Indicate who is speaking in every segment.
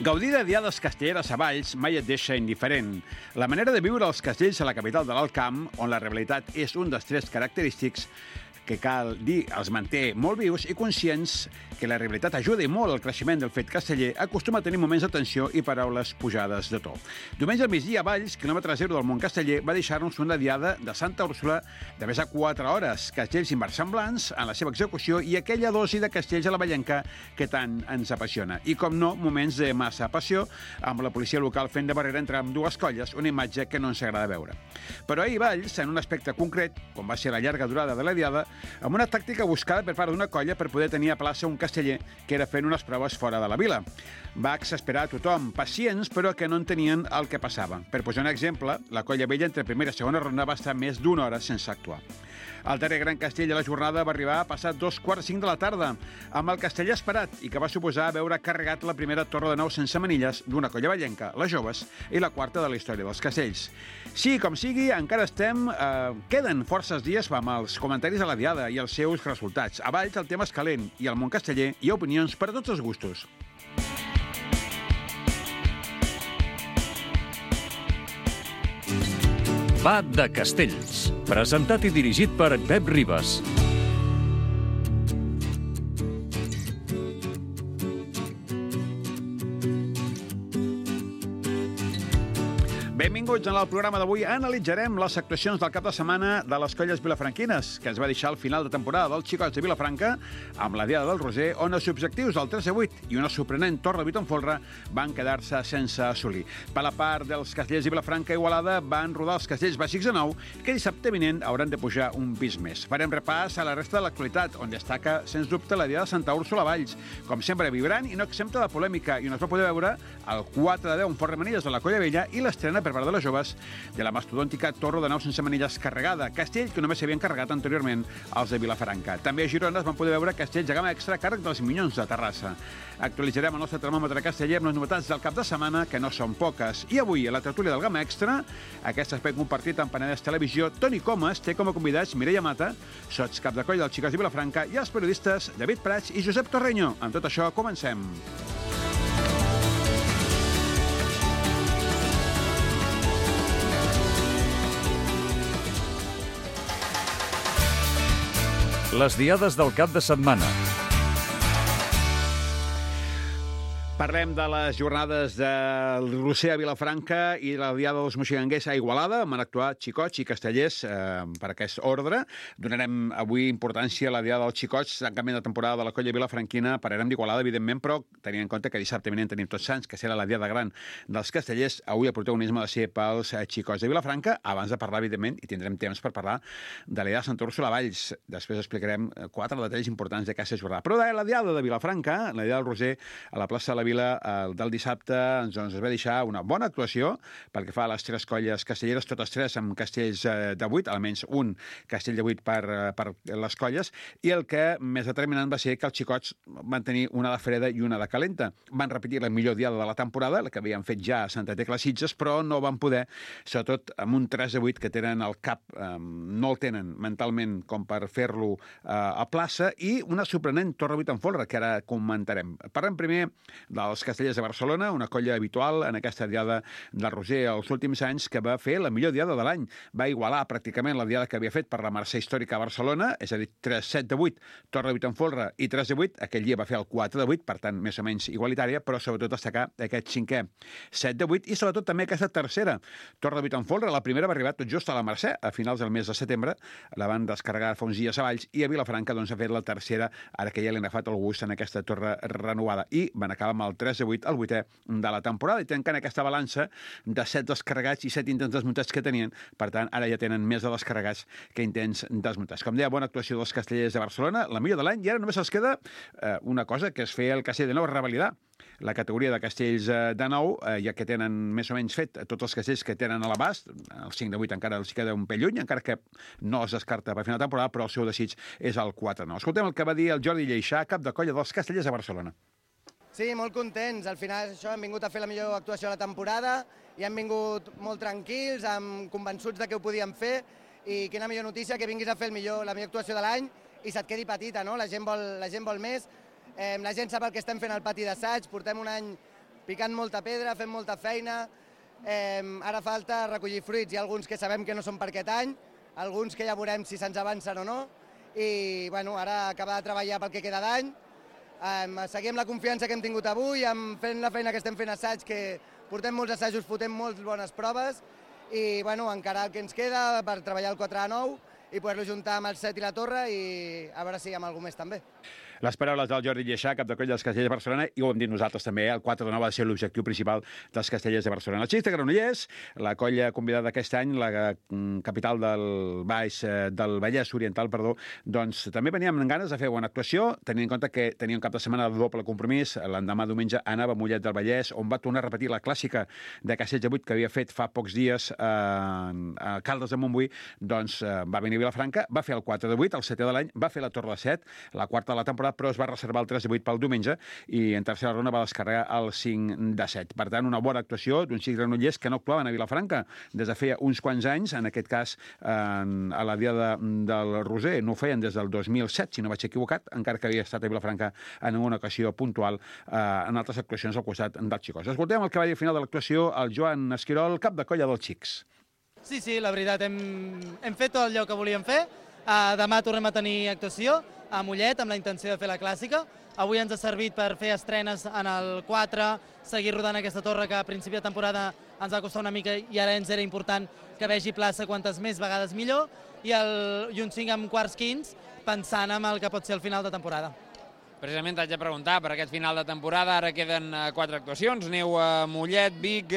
Speaker 1: Gaudir de diades castelleres a Valls mai et deixa indiferent. La manera de viure als castells a la capital de l'Alt Camp, on la realitat és un dels trets característics que cal dir els manté molt vius i conscients que la realitat ajuda i molt al creixement del fet casteller, acostuma a tenir moments de tensió i paraules pujades de to. Diumenge al migdia a Valls, quilòmetre zero del món casteller, va deixar-nos una diada de Santa Úrsula de més de 4 hores, castells inversemblants en la seva execució i aquella dosi de castells a la Vallenca que tant ens apassiona. I, com no, moments de massa passió, amb la policia local fent de barrera entre dues colles, una imatge que no ens agrada veure. Però ahir Valls, en un aspecte concret, com va ser la llarga durada de la diada, amb una tàctica buscada per part d'una colla per poder tenir a plaça un casteller que era fent unes proves fora de la vila. Va exasperar a tothom, pacients, però que no entenien el que passava. Per posar un exemple, la colla vella entre primera i segona ronda va estar més d'una hora sense actuar. El darrer gran castell de la jornada va arribar a passar 2:45 de la tarda, amb el castell esperat, i que va suposar veure carregat la primera torre de nou sense manilles d'una colla vallenca, les joves, i la quarta de la història dels castells. Sí, com sigui, encara estem... queden forces dies amb els comentaris a la diada i els seus resultats. A Valls el tema és calent, i al món casteller hi ha opinions per a tots els gustos.
Speaker 2: Va de Castells, presentat i dirigit per Pep Ribas.
Speaker 1: Benvinguts. En el programa d'avui analitzarem les actuacions del cap de setmana de les colles vilafranquines, que es va deixar al final de temporada dels Xicots de Vilafranca amb la Diada del Roser, on els objectius del 3-8 i una sorprenent torre de 8 en folre van quedar-se sense assolir. Per la part dels castellers de Vilafranca i Igualada van rodar els castells bàsics de nou, que dissabte vinent hauran de pujar un pis més. Farem repàs a la resta de l'actualitat, on destaca, sens dubte, la Diada de Santa Úrsula a Valls, com sempre vibrant i no exempta de polèmica, i on es va poder veure el 4-10 en fort manilles de la Colla Vella i l'estrena per part de les joves de la mastodòntica torre de nau sense manilles carregada, castell que només s'havien carregat anteriorment als de Vilafranca. També a Girona es van poder veure castells de gamma extra a càrrec dels Minyons de Terrassa. Actualitzarem el nostre termòmetre casteller amb les novetats del cap de setmana, que no són poques. I avui, a la tertúlia del gamma extra, aquest espai compartit amb Penedès Televisió, Toni Comas té com a convidats Mireia Mata, sots cap de colla dels Xicots de Vilafranca, i els periodistes David Prats i Josep Torreño. Amb tot això, comencem.
Speaker 2: Les diades del cap de setmana.
Speaker 1: Parlem de les jornades del Roser a Vilafranca i la Diada dels Moixigangers a Igualada. Van actuar xicots i castellers per aquest ordre. Donarem avui importància a la Diada dels Xicots, tancament de temporada de la colla vilafranquina. Parlarem d'Igualada, evidentment, però tenint en compte que dissabte vinent tenim Tots Sants, que serà la Diada gran dels castellers. Avui el protagonisme ha de ser pels xicots de Vilafranca, abans de parlar, evidentment, i tindrem temps per parlar de la Diada de Santa Úrsula a Valls. Després explicarem 4 detalls importants d'aquesta jornada. Però de la Diada de Vilafranca, la Diada del Roser a la plaça de la Vila del dissabte, ens va deixar una bona actuació pel que fa a les 3 colles castelleres, totes 3 amb castells de 8, almenys un castell de 8 per les colles, i el que més determinant va ser que els xicots van tenir una de freda i una de calenta. Van repetir la millor diada de la temporada, la que havien fet ja a Santa Tecla Sitges, però no van poder, sobretot amb un 3 de 8 que tenen al cap, no el tenen mentalment com per fer-lo a plaça, i una sorprenent torre 8 en folre, que ara comentarem. Parlem primer dels castellers de Barcelona, una colla habitual en aquesta diada del Roser els últims anys, que va fer la millor diada de l'any. Va igualar pràcticament la diada que havia fet per la Mercè Històrica a Barcelona, és a dir, 7 de 8, torre de 8 en folre i 3 de 8. Aquell dia va fer el 4 de 8, per tant, més o menys igualitària, però sobretot destacar aquest 5è 7 de 8 i sobretot també aquesta tercera torre de 8 en folre. La primera va arribar tot just a la Mercè, a finals del mes de setembre, la van descarregar fa uns dies a Valls, i a Vilafranca doncs ha fet la tercera, ara que ja li han agafat el gust en aquesta torre renovada, i van acabar amb el 3 de 8, el 8è de la temporada, i tancant aquesta balança de 7 descarregats i 7 intents desmuntats que tenien. Per tant, ara ja tenen més de descarregats que intents desmuntats. Com deia, bona actuació dels castellers de Barcelona, la millor de l'any, i ara només els queda una cosa, que és fer el castell de nou, revalidar la categoria de castells de nou, ja que tenen més o menys fet tots els castells que tenen a l'abast. El 5 de 8 encara els queda un pell lluny, encara que no es descarta per final de temporada, però el seu desig és el 4 de 9. Escoltem el que va dir el Jordi Lleixà, cap de colla dels castellers de Barcelona.
Speaker 3: Sí, molt contents. Al final això, hem vingut a fer la millor actuació de la temporada i hem vingut molt tranquils, convençuts de que ho podíem fer, i quina millor notícia que vinguis a fer la millor actuació de l'any i se't quedi petita, no? La gent vol més. La gent sap el que estem fent al pati d'assaig, portem un any picant molta pedra, fent molta feina. Ara falta recollir fruits. Hi ha alguns que sabem que no són per aquest any, alguns que ja veurem si se'ns avancen o no, i bueno, ara acabar de treballar pel que queda d'any, seguir amb la confiança que hem tingut avui, fent la feina que estem fent assaig, que portem molts assajos, fotem molt bones proves, i bueno, encara el que ens queda per treballar el 4A9 i poder-lo juntar amb el 7 i la torre, i a veure si hi ha alguna més també.
Speaker 1: Les paraules del Jordi Lleixà, cap de coll dels Castellers de Barcelona, i ho hem dit nosaltres també, el 4-9 va ser l'objectiu principal dels Castellers de Barcelona. Els Xics de Granollers, la colla convidada aquest any, la capital del Vallès Oriental, doncs també veníem amb ganes de fer bona actuació, tenint en compte que tenia un cap de setmana de doble compromís. L'endemà diumenge anava a Mollet del Vallès, on va tornar a repetir la clàssica de Castells de 8 que havia fet fa pocs dies a Caldes de Montbui. Doncs va venir a Vilafranca, va fer el 4 de 8, el 7è de l'any, va fer la Torre de 7, la quarta de la temporada, però es va reservar el 3 de 8 pel diumenge i en tercera ronda va descarregar el 5 de 7. Per tant, una bona actuació d'uns Xics granollers que no actuaven a Vilafranca des de feia uns quants anys, en aquest cas a la Diada del Roser, no ho feien des del 2007, si no vaig equivocat, encara que havia estat a Vilafranca en una ocasió puntual en altres actuacions al costat dels xicos. Escoltem el que va dir al final de l'actuació el Joan Esquirol, cap de colla dels Xics.
Speaker 4: Sí, la veritat, hem fet tot allò que volíem fer. Demà tornem a tenir actuació a Mollet amb la intenció de fer la clàssica. Avui ens ha servit per fer estrenes en el 4, seguir rodant aquesta torre que a principi de temporada ens va costar una mica i ara ens era important que vegi plaça quantes més vegades millor, i un 5 amb quarts quints pensant en el que pot ser el final de temporada.
Speaker 5: Precisament t'haig de preguntar per aquest final de temporada. Ara queden 4 actuacions. Aneu a Mollet, Vic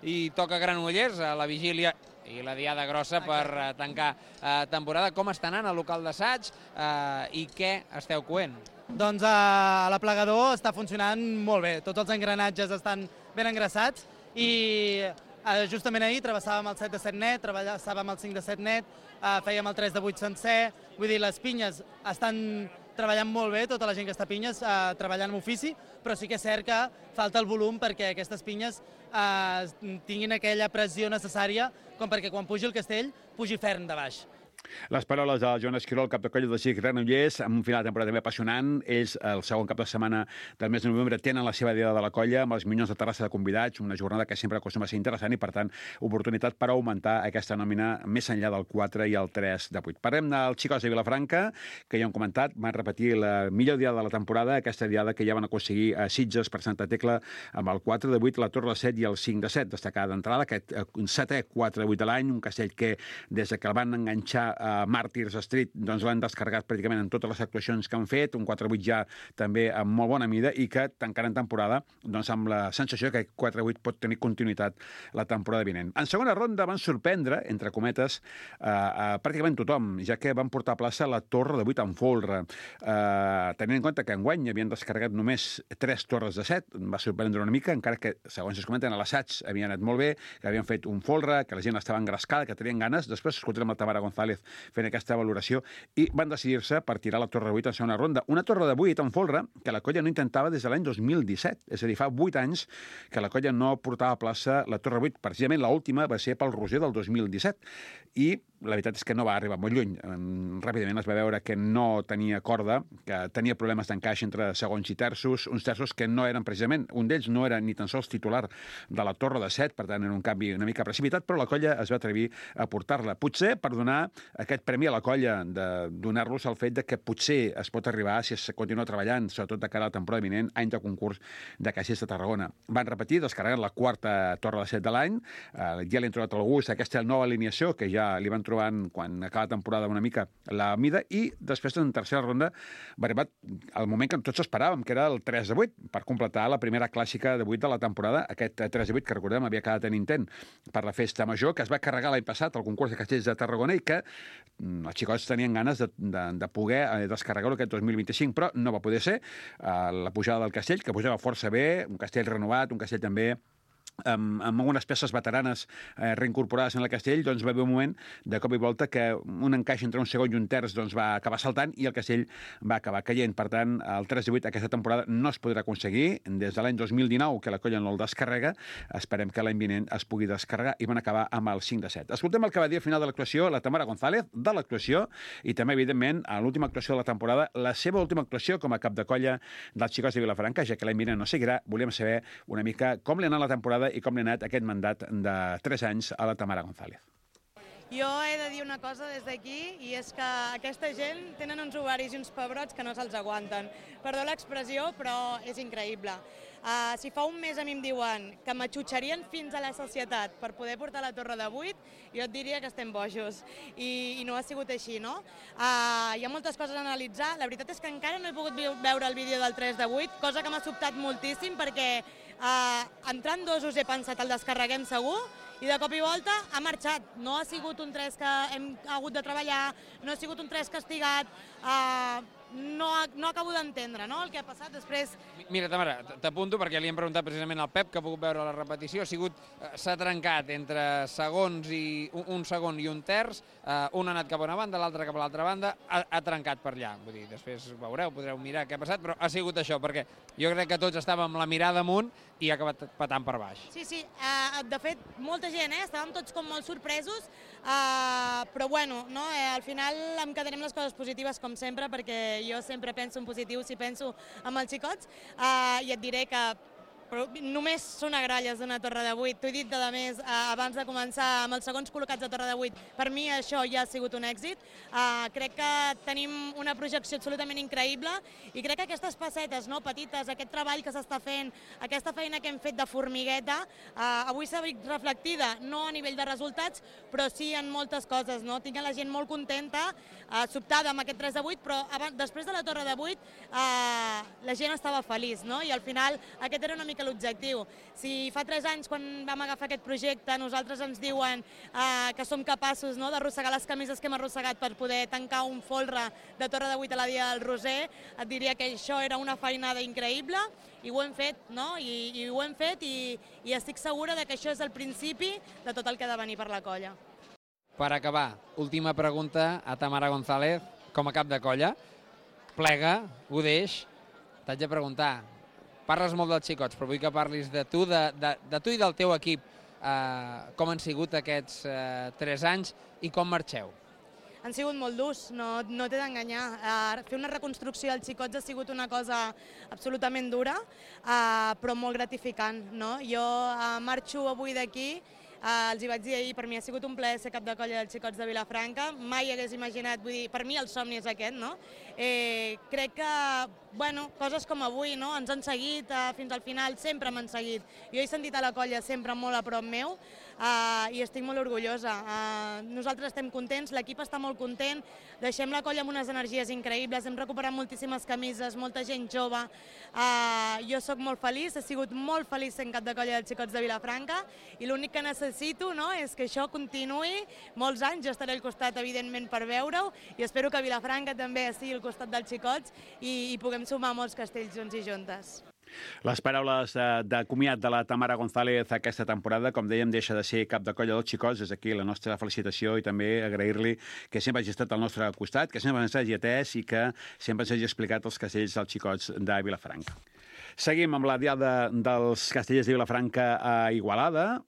Speaker 5: i toca Granollers a la vigília i la diada grossa per tancar temporada. Com està anant el local d'assaig i què esteu coent?
Speaker 4: Doncs l'aplegador està funcionant molt bé. Tots els engranatges estan ben engraçats i justament ahir travessàvem el 7 de 7 net, travessàvem el 5 de 7 net, fèiem el 3 de 8 sencer. Vull dir, les pinyes estan treballant molt bé, tota la gent que està a pinyes treballant amb ofici, però sí que és cert que falta el volum perquè aquestes pinyes tinguin aquella pressió necessària com perquè quan pugi el castell pugi ferm de baix.
Speaker 1: Les paraules del Joan Esquirol, cap de colla dels Xics Granollers, amb un final de temporada també apassionant. Ells, el segon cap de setmana del mes de novembre, tenen la seva diada de la colla amb els Minyons de Terrassa de convidats, una jornada que sempre acostuma a ser interessant i, per tant, oportunitat per augmentar aquesta nòmina més enllà del 4 i el 3 de 8. Parlem dels Xicos de Vilafranca, que ja hem comentat, van repetir la millor diada de la temporada, aquesta diada que ja van aconseguir a Sitges per Santa Tecla amb el 4 de 8, la Torre de 7 i el 5 de 7. Destacar d'entrada aquest 7è 4 de 8 de l'any, un castell que des que el van enganxar a Màrtirs Street, doncs l'han descarregat pràcticament en totes les actuacions que han fet, un 4-8 ja també amb molt bona mida i que tancarà en temporada doncs amb la sensació que 4-8 pot tenir continuïtat la temporada vinent. En segona ronda van sorprendre, entre cometes, pràcticament tothom, ja que van portar a plaça la Torre de 8 en folre. Tenint en compte que enguany havien descarregat només 3 torres de 7, va sorprendre una mica, encara que, segons es comenten, a l'assaig havien anat molt bé, que havien fet un folre, que la gent estava engrescada, que tenien ganes. Després escoltarem la Tamara González fent aquesta valoració, i van decidir-se per tirar la Torre 8 en segona ronda. Una Torre de 8 en folre que la colla no intentava des de l'any 2017, és a dir, fa 8 anys que la colla no portava a plaça la Torre 8. Precisament l'última va ser pel Roser del 2017, i la veritat és que no va arribar molt lluny. Ràpidament es va veure que no tenia corda, que tenia problemes d'encaix entre segons i terços, uns terços que no eren precisament, un d'ells no era ni tan sols titular de la Torre de 7, per tant era un canvi una mica precipitat, però la colla es va atrevir a portar-la. Potser per donar aquest premi a la colla, de donar-los el fet de que potser es pot arribar, si es continua treballant, sobretot de cara a la temporada vinent, any de concurs de Caixers de Tarragona. Van repetir, descarregant la quarta Torre de 7 de l'any, ja li han trobat el gust, aquesta nova alineació que ja li van trobant quan acaba la temporada una mica la mida, i després en tercera ronda va arribar el moment que tots esperàvem, que era el 3 de 8, per completar la primera clàssica de 8 de la temporada, aquest 3 de 8 que recordem havia quedat en intent per la festa major, que es va carregar l'any passat al concurs de Castells de Tarragona i que els xicots tenien ganes de poder descarregar-ho aquest 2025, però no va poder ser. La pujada del castell, que pujava força bé, un castell renovat, un castell també amb algunes peces veteranes reincorporades en el castell, doncs va haver un moment de cop i volta que un encaix entre un segon i un terç doncs, va acabar saltant i el castell va acabar caient. Per tant, el 3 de 8 aquesta temporada no es podrà aconseguir. Des de l'any 2019, que la colla no el descarrega, esperem que l'any vinent es pugui descarregar i van acabar amb el 5 de 7. Escoltem el que va dir al final de l'actuació la Tamara González, de l'actuació, i també, evidentment, a l'última actuació de la temporada, la seva última actuació com a cap de colla dels Xicots de Vilafranca, ja que l'any vinent no seguirà, volíem saber una mica com li ha anat la temporada i com li ha anat aquest mandat de 3 anys a la Tamara González.
Speaker 6: Jo he de dir una cosa des d'aquí, i és que aquesta gent tenen uns ovaris i uns pebrots que no se'ls aguanten. Perdó l'expressió, però és increïble. Si fa un mes a mi em diuen que m'atxutxarien fins a la societat per poder portar la Torre de 8, jo et diria que estem bojos. I no ha sigut així, no? Hi ha moltes coses a analitzar. La veritat és que encara no he pogut veure el vídeo del 3 de 8, cosa que m'ha sobtat moltíssim perquè entrant dosos he pensat el descarreguem segur, i de cop i volta ha marxat. No ha sigut un 3 que hem hagut de treballar, no ha sigut un 3 castigat, no acabo d'entendre, no?, el que ha passat després.
Speaker 5: Mira, Tamara, t'apunto perquè li hem preguntat precisament al Pep, que ha pogut veure la repetició. S'ha trencat entre segons i un segon i un terç, un ha anat cap a una banda, l'altre cap a l'altra banda, ha trencat per allà. Vull dir, després veureu, podreu mirar què ha passat, però ha sigut això, perquè jo crec que tots estàvem amb la mirada amunt i ha acabat patant per baix.
Speaker 6: Sí, de fet, molta gent, estàvem tots com molt sorpresos, però bueno, no? Al final em quedaré amb les coses positives com sempre, perquè jo sempre penso en positiu si penso amb els xicots, i et diré que només són agralles d'una Torre de 8. T'ho he dit, a més, abans de començar, amb els segons col·locats de Torre de 8. Per mi això ja ha sigut un èxit. Crec que tenim una projecció absolutament increïble i crec que aquestes passetes petites, aquest treball que s'està fent, aquesta feina que hem fet de formigueta, avui s'ha vist reflectida, no a nivell de resultats, però sí en moltes coses. Tinc la gent molt contenta, sobtada amb aquest 3 de 8, però després de la Torre de 8 la gent estava feliç, i al final aquest era una mica l'objectiu. Si fa 3 anys, quan vam agafar aquest projecte, nosaltres ens diuen que som capaços d'arrossegar les camises que hem arrossegat per poder tancar un folre de Torre de 8 a la Dia del Roser, et diria que això era una feinada increïble i ho hem fet, i ho hem fet i estic segura que això és el principi de tot el que ha de venir per la colla.
Speaker 5: Per acabar, última pregunta a Tamara González, com a cap de colla. Plega, ho deix, t'haig de preguntar, parles molt dels xicots, però vull que parlis de tu i del teu equip. Com han sigut aquests 3 anys i com marxeu?
Speaker 6: Han sigut molt durs, no t'he d'enganyar. Fer una reconstrucció als xicots ha sigut una cosa absolutament dura, però molt gratificant. Jo marxo avui d'aquí, els hi vaig dir ahir, per mi ha sigut un plaer ser cap de colla dels Xicots de Vilafranca, mai hagués imaginat, vull dir, per mi el somni és aquest, crec que, coses com avui, ens han seguit fins al final, sempre m'han seguit. Jo he sentit a la colla sempre molt a prop meu i estic molt orgullosa. Nosaltres estem contents, l'equip està molt content, deixem la colla amb unes energies increïbles, hem recuperat moltíssimes camises, molta gent jove. Jo sóc molt feliç, he sigut molt feliç sent cap de colla dels Xicots de Vilafranca i l'únic que necessito és que això continuï molts anys. Jo estaré al costat, evidentment, per veure-ho i espero que Vilafranca també estigui al costat dels xicots i puguem sumar molts castells junts i juntes.
Speaker 1: Les paraules de comiat de la Tamara González aquesta temporada, com dèiem, deixa de ser cap de colla dels xicots. Des d'aquí la nostra felicitació i també agrair-li que sempre hagi estat al nostre costat, que sempre ens hagi atès i que sempre ens hagi explicat els castells dels xicots de Vilafranca. Seguim amb la diada dels castellers de Vilafranca a Igualada.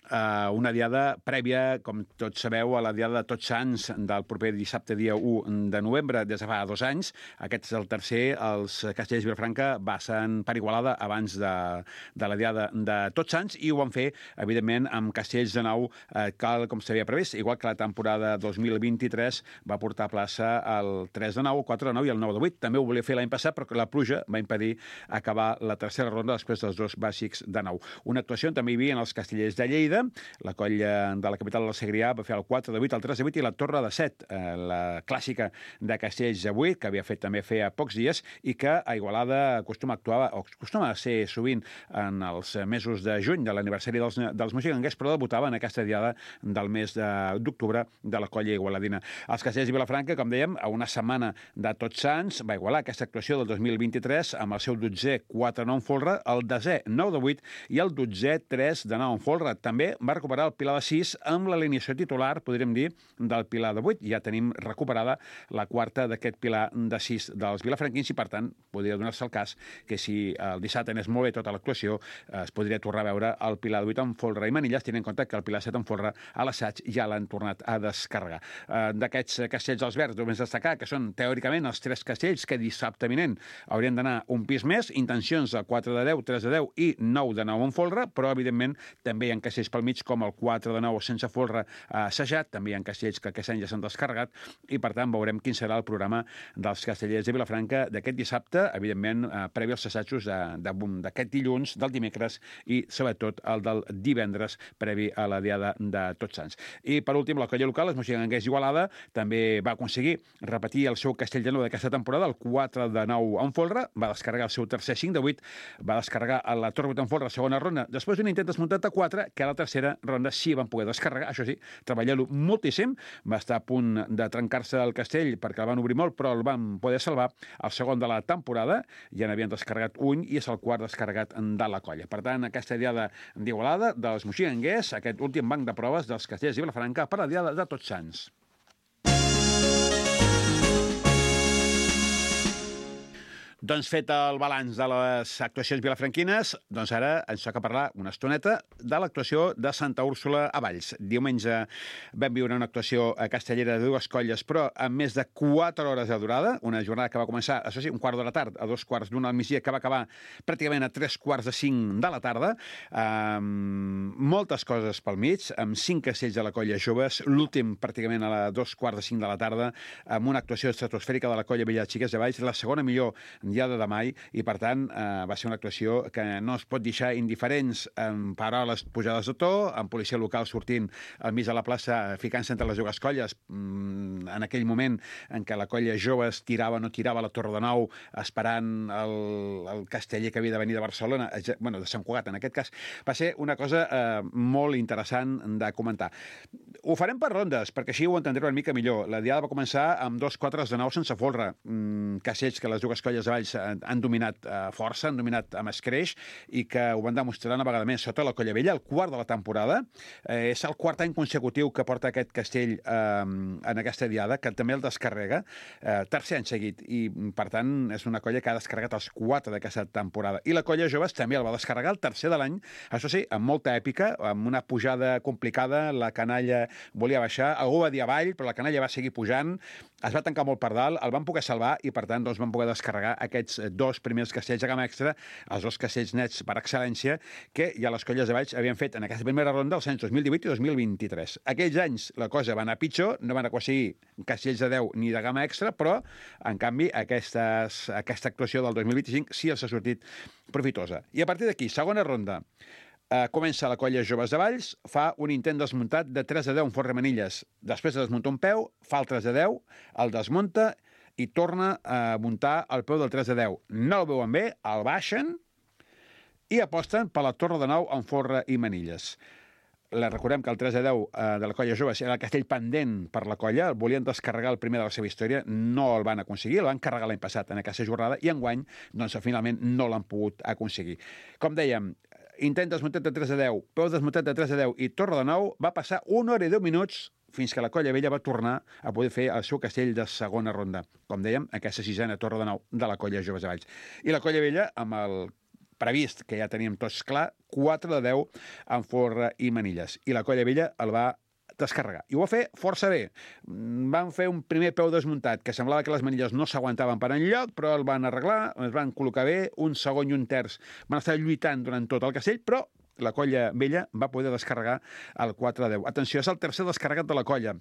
Speaker 1: Una diada prèvia, com tots sabeu, a la diada de Tots Sants del proper dissabte, dia 1 de novembre, des de fa 2 anys. Aquest és el tercer. Els castellers de Vilafranca passen per Igualada abans de la diada de Tots Sants i ho van fer, evidentment, amb castells de nou, com s'havia previst, igual que la temporada 2023 va portar a plaça el 3 de 9, el 4 de 9 i el 9 de 8. També ho volia fer l'any passat, però la pluja va impedir acabar la tercera ronda després dels 2 bàsics de 9. Una actuació on també hi havia els castellers de Lleida, seguida. La colla de la capital del Segrià va fer el 4 de 8, el 3 de 8 i la Torre de 7, la clàssica de Castells de 8, que havia fet també feia pocs dies i que a Igualada acostuma a ser sovint en els mesos de juny de l'aniversari dels moxiganguers, però debutava en aquesta diada del mes d'octubre de la colla igualadina. Els Castells de Vilafranca, com dèiem, a una setmana de Tots Sants, va igualar aquesta actuació del 2023 amb el seu 12è 4-9 en folre, el 10è 9 de 8 i el 12è 3-9 en folre. També va recuperar el pilar de 6 amb l'alineació titular, podríem dir, del pilar de 8. Ja tenim recuperada la quarta d'aquest pilar de 6 dels vilafranquins i, per tant, podria donar-se el cas que si el dissabte anés molt bé tota l'actuació, es podria tornar a veure el pilar de 8 en folre i manilles, tenint en compte que el pilar 7 en folre a l'assaig ja l'han tornat a descarregar. D'aquests castells als verds, només destacar que són teòricament els 3 castells que dissabte vinent haurien d'anar un pis més, intencions de 4 de 10, 3 de 10 i 9 de 9 en folre, però evidentment també hi ha castells pel mig com el 4 de 9 sense folre assajat, també hi ha castells que aquest any ja s'han descarregat i per tant veurem quin serà el programa dels castellers de Vilafranca d'aquest dissabte, evidentment previ als assajos d'aquest dilluns, del dimecres i sobretot el del divendres previ a la diada de Tots Sants. I per últim, la colla local, els moxiganguers d'Igualada, també va aconseguir repetir el seu castell de 9 d'aquesta temporada, el 4 de 9 en folre, va descarregar el seu tercer 5 de 8, va descarregar la Torre 8 en folre a la segona ronda, després d'un intent desmuntat de 4, que a la tercera ronda sí van poder descarregar, això sí, treballar-lo moltíssim, va estar a punt de trencar-se el castell perquè el van obrir molt, però el van poder salvar, el segon de la temporada, ja n'havien descarregat un i és el quart descarregat de la colla. Per tant, aquesta diada d'Igualada, dels moxiganguers, aquest últim banc de proves dels castellers de Vilafranca per la diada de Tots Sants. Doncs fet el balanç de les actuacions vilafranquines, doncs ara ens toca parlar una estoneta de l'actuació de Santa Úrsula a Valls. Diumenge vam viure una actuació castellera de 2 colles, però amb més de 4 hores de durada, una jornada que va començar, això sí, 1 quart de la tarda, a 2:45 al migdia, que va acabar pràcticament a 3:45 de la tarda, moltes coses pel mig, amb 5 castells de la colla joves, l'últim pràcticament a 2:45 de la tarda, amb una actuació estratosfèrica de la colla Vella de Xiques de Valls, la segona millor diada de mai, i per tant va ser una actuació que no es pot deixar indiferents, amb paraules pujades de to, amb policia local sortint al mig de la plaça, ficant-se entre les dues colles, en aquell moment en què la colla joves tirava o no tirava la Torre de Nou, esperant el casteller que havia de venir de Barcelona, bueno, de Sant Cugat en aquest cas. Va ser una cosa molt interessant de comentar. Ho farem per rondes, perquè així ho entendreu una mica millor. La diada va començar amb 2 4 de 9 sense folre, castells que les dues colles de Valls han dominat força, han dominat amb escreix, i que ho van demostrar una vegada més sota la colla vella, el quart de la temporada. És el quart any consecutiu que porta aquest castell en aquesta diada, que també el descarrega, tercer any seguit, i per tant és una colla que ha descarregat els 4 d'aquesta temporada. I la colla joves també el va descarregar el tercer de l'any, això sí, amb molta èpica, amb una pujada complicada, la canalla volia baixar, algú va dir avall, però la canalla va seguir pujant, es va tancar molt per dalt, el van poder salvar i per tant doncs, van poder descarregar aquests 2 primers castells de gamma extra, els 2 castells nets per excel·lència, que ja les colles de Valls havien fet en aquesta primera ronda els anys 2018 i 2023. Aquells anys la cosa va anar pitjor, no van aconseguir castells de 10 ni de gamma extra, però en canvi aquesta actuació del 2025 sí els ha sortit profitosa. I a partir d'aquí, segona ronda, comença la colla Joves de Valls, fa un intent desmuntat de 3 de 10 en folre manilles. Després de desmuntar un peu, fa el 3 de 10, el desmunta i torna a muntar el peu del 3 de 10. No el veuen bé, el baixen i aposten per la Torre de 9 en folre i manilles. Recordem que el 3 de 10 de la colla joves era el castell pendent per la colla, el volien descarregar el primer de la seva història, no el van aconseguir, el van carregar l'any passat en aquesta jornada i enguany, doncs, finalment no l'han pogut aconseguir. Com dèiem, intent desmuntat de 3 de 10, peu desmuntat de 3 de 10 i Torre de 9, va passar 1 hora i 10 minuts fins que la colla vella va tornar a poder fer el seu castell de segona ronda. Com dèiem, aquesta 6a Torre de 9 de la colla joves de Valls. I la colla vella, amb el previst, que ja teníem tots clar, 4 de 10 en folre i manilles. I la colla vella el va descarregar. I ho va fer força bé. Van fer un primer peu desmuntat, que semblava que les manilles no s'aguantaven per enlloc, però el van arreglar, es van col·locar bé, un segon i un terç van estar lluitant durant tot el castell, però la colla vella va poder descarregar el 4 de 10. Atenció, és el tercer descarregat de la colla.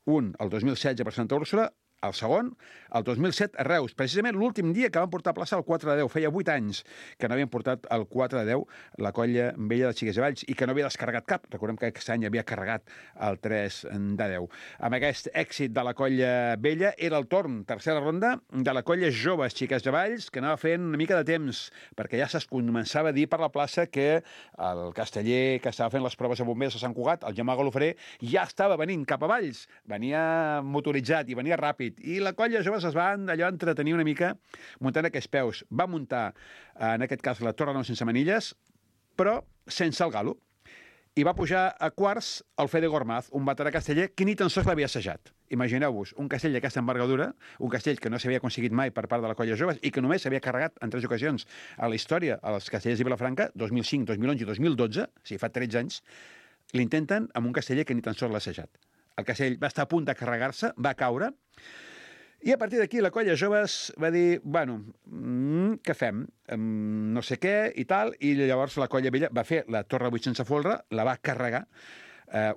Speaker 1: Un, el 2016 per Santa Úrsula, el segon, el 2007 a Reus, precisament l'últim dia que van portar a plaça el 4 de 10. Feia 8 anys que no havien portat el 4 de 10 la colla vella de Xiques i Valls i que no havia descarregat cap. Recordem que aquest any havia carregat el 3 de 10. Amb aquest èxit de la colla vella era el torn, tercera ronda, de la colla joves Xiques i Valls, que anava fent una mica de temps, perquè ja es començava a dir per la plaça que el casteller que estava fent les proves a bombers a Sant Cugat, el Gemma Galofré, ja estava venint cap a Valls. Venia motoritzat i venia ràpid. I la colla joves es va allò entretenir una mica muntant aquests peus. Va muntar, en aquest cas, la Torre Nou sense manilles, però sense el galo. I va pujar a quarts el Fede Gormaz, un veterà casteller que ni tan sols l'havia assajat. Imagineu-vos, un castell d'aquesta envergadura, un castell que no s'havia aconseguit mai per part de la colla joves i que només s'havia carregat en 3 ocasions a la història als castellers de Vilafranca, 2005, 2011 i 2012, o sigui, fa 13 anys, l'intenten amb un casteller que ni tan sols l'ha assajat. El castell va estar a punt de carregar-se, va caure, i a partir d'aquí la colla joves va dir, bueno, què fem? No sé què i tal, i llavors la colla vella va fer la Torre 8 sense folre, la va carregar,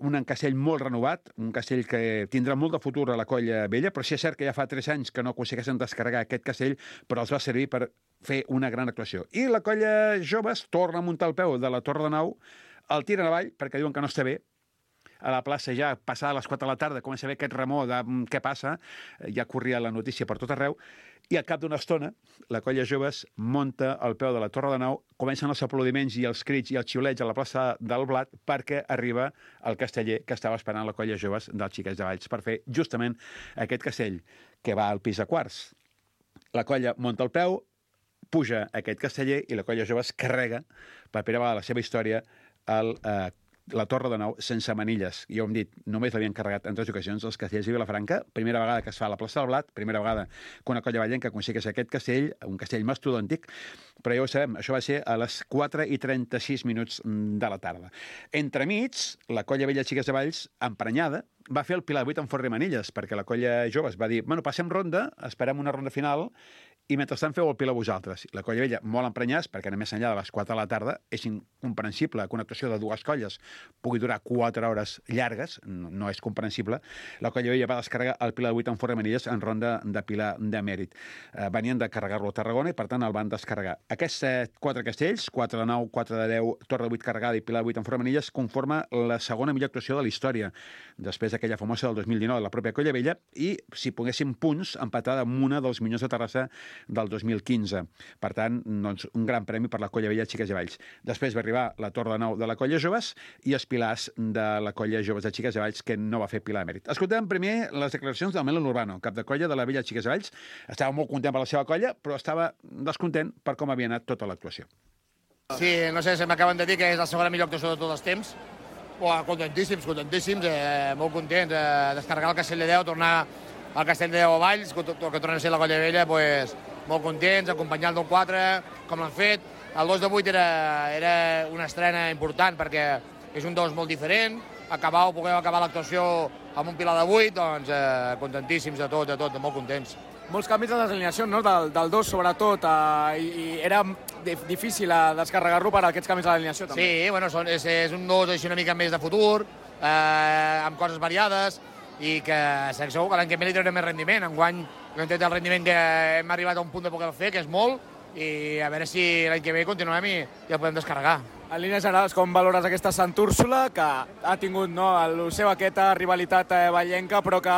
Speaker 1: un castell molt renovat, un castell que tindrà molt de futur a la colla vella, però sí és cert que ja fa 3 anys que no aconsegueixen descarregar aquest castell, però els va servir per fer una gran actuació. I la colla joves torna a muntar el peu de la Torre de Nou, el tiren avall perquè diuen que no està bé, a la plaça ja, passada les 4 de la tarda, comença a haver aquest remor de què passa, ja corria la notícia per tot arreu, i al cap d'una estona, la colla joves munta al peu de la Torre de Nou, comencen els aplaudiments i els crits i els xiulets a la plaça del Blat perquè arriba el casteller que estava esperant la colla joves dels Xiques de Valls per fer justament aquest castell que va al pis a quarts. La colla munta el peu, puja aquest casteller i la colla joves carrega per primera vegada a la seva història la Torre de Nou sense manilles. Ja ho hem dit, només l'havien carregat en 3 ocasions els castellers de Vilafranca. Primera vegada que es fa a la plaça del Blat, primera vegada que una colla vallenca aconsegueix aquest castell, un castell mastodòntic, però ja ho sabem, això va ser a les 4:36 de la tarda. Entremig, la colla vella Xiques de Valls, emprenyada, va fer el Pilar 8 amb forre manilles, perquè la colla joves va dir, bueno, passem ronda, esperem una ronda final, i mentrestant feu el Pilar vosaltres. La colla vella molt emprenyats, perquè només enllà de les 4 de la tarda és incomprensible que una actuació de 2 colles pugui durar 4 hores llargues, no és comprensible. La colla vella va descarregar el Pilar 8 amb forre manilles en ronda de Pilar de mèrit. Venien de carregar-lo a Tarragona i, per tant, el van descarregar. Aquests 4 castells, 4 de 9, 4 de 10, Torre de 8 carregada i Pilar 8 amb forre manilles, conforma la segona millor actuació de la història, després d'aquella famosa del 2019 de la pròpia colla vella, i, si poguéssim punts, empatada amb una dels millors de Terrassa del 2015. Per tant, doncs, un gran premi per la colla vella Xiques i Valls. Després va arribar la Torre de Nou de la colla joves i els pilars de la colla joves de Xiques i Valls, que no va fer Pilar de mèrit. Escoltem primer les declaracions del Melon Urbano, cap de colla de la vella Xiques i Valls. Estava molt content per la seva colla, però estava descontent per com havia anat tota l'actuació.
Speaker 7: Sí, no sé, se m'acaben de dir que és la segona millor actuació de tots els temps. Contentíssims, molt contents. Descarregar el castell de 10, tornar al castell de 10 a Valls, que torna a ser la colla vella, pues, molt contents, acompanyant del 4, com l'han fet. El 2 de 8 era una estrena important perquè és un 2 molt diferent. Puguem acabar l'actuació amb un Pilar de 8, doncs contentíssims de tot, molt contents.
Speaker 8: Molts canvis a les alineacions, no? Del 2 sobretot, i era difícil descarregar-lo per aquests canvis a l'alineació també.
Speaker 7: Sí, bueno, és un 2 així una mica més de futur, amb coses variades, i que segur que l'any que ve li traurem més rendiment. Enguany no hem tret el rendiment que hem arribat a un punt de poder fer, que és molt, i a veure si l'any que ve continuem i el podem descarregar.
Speaker 8: En línies generals, com valores aquesta Sant Úrsula, que ha tingut el seu aquesta rivalitat vallenca, però que,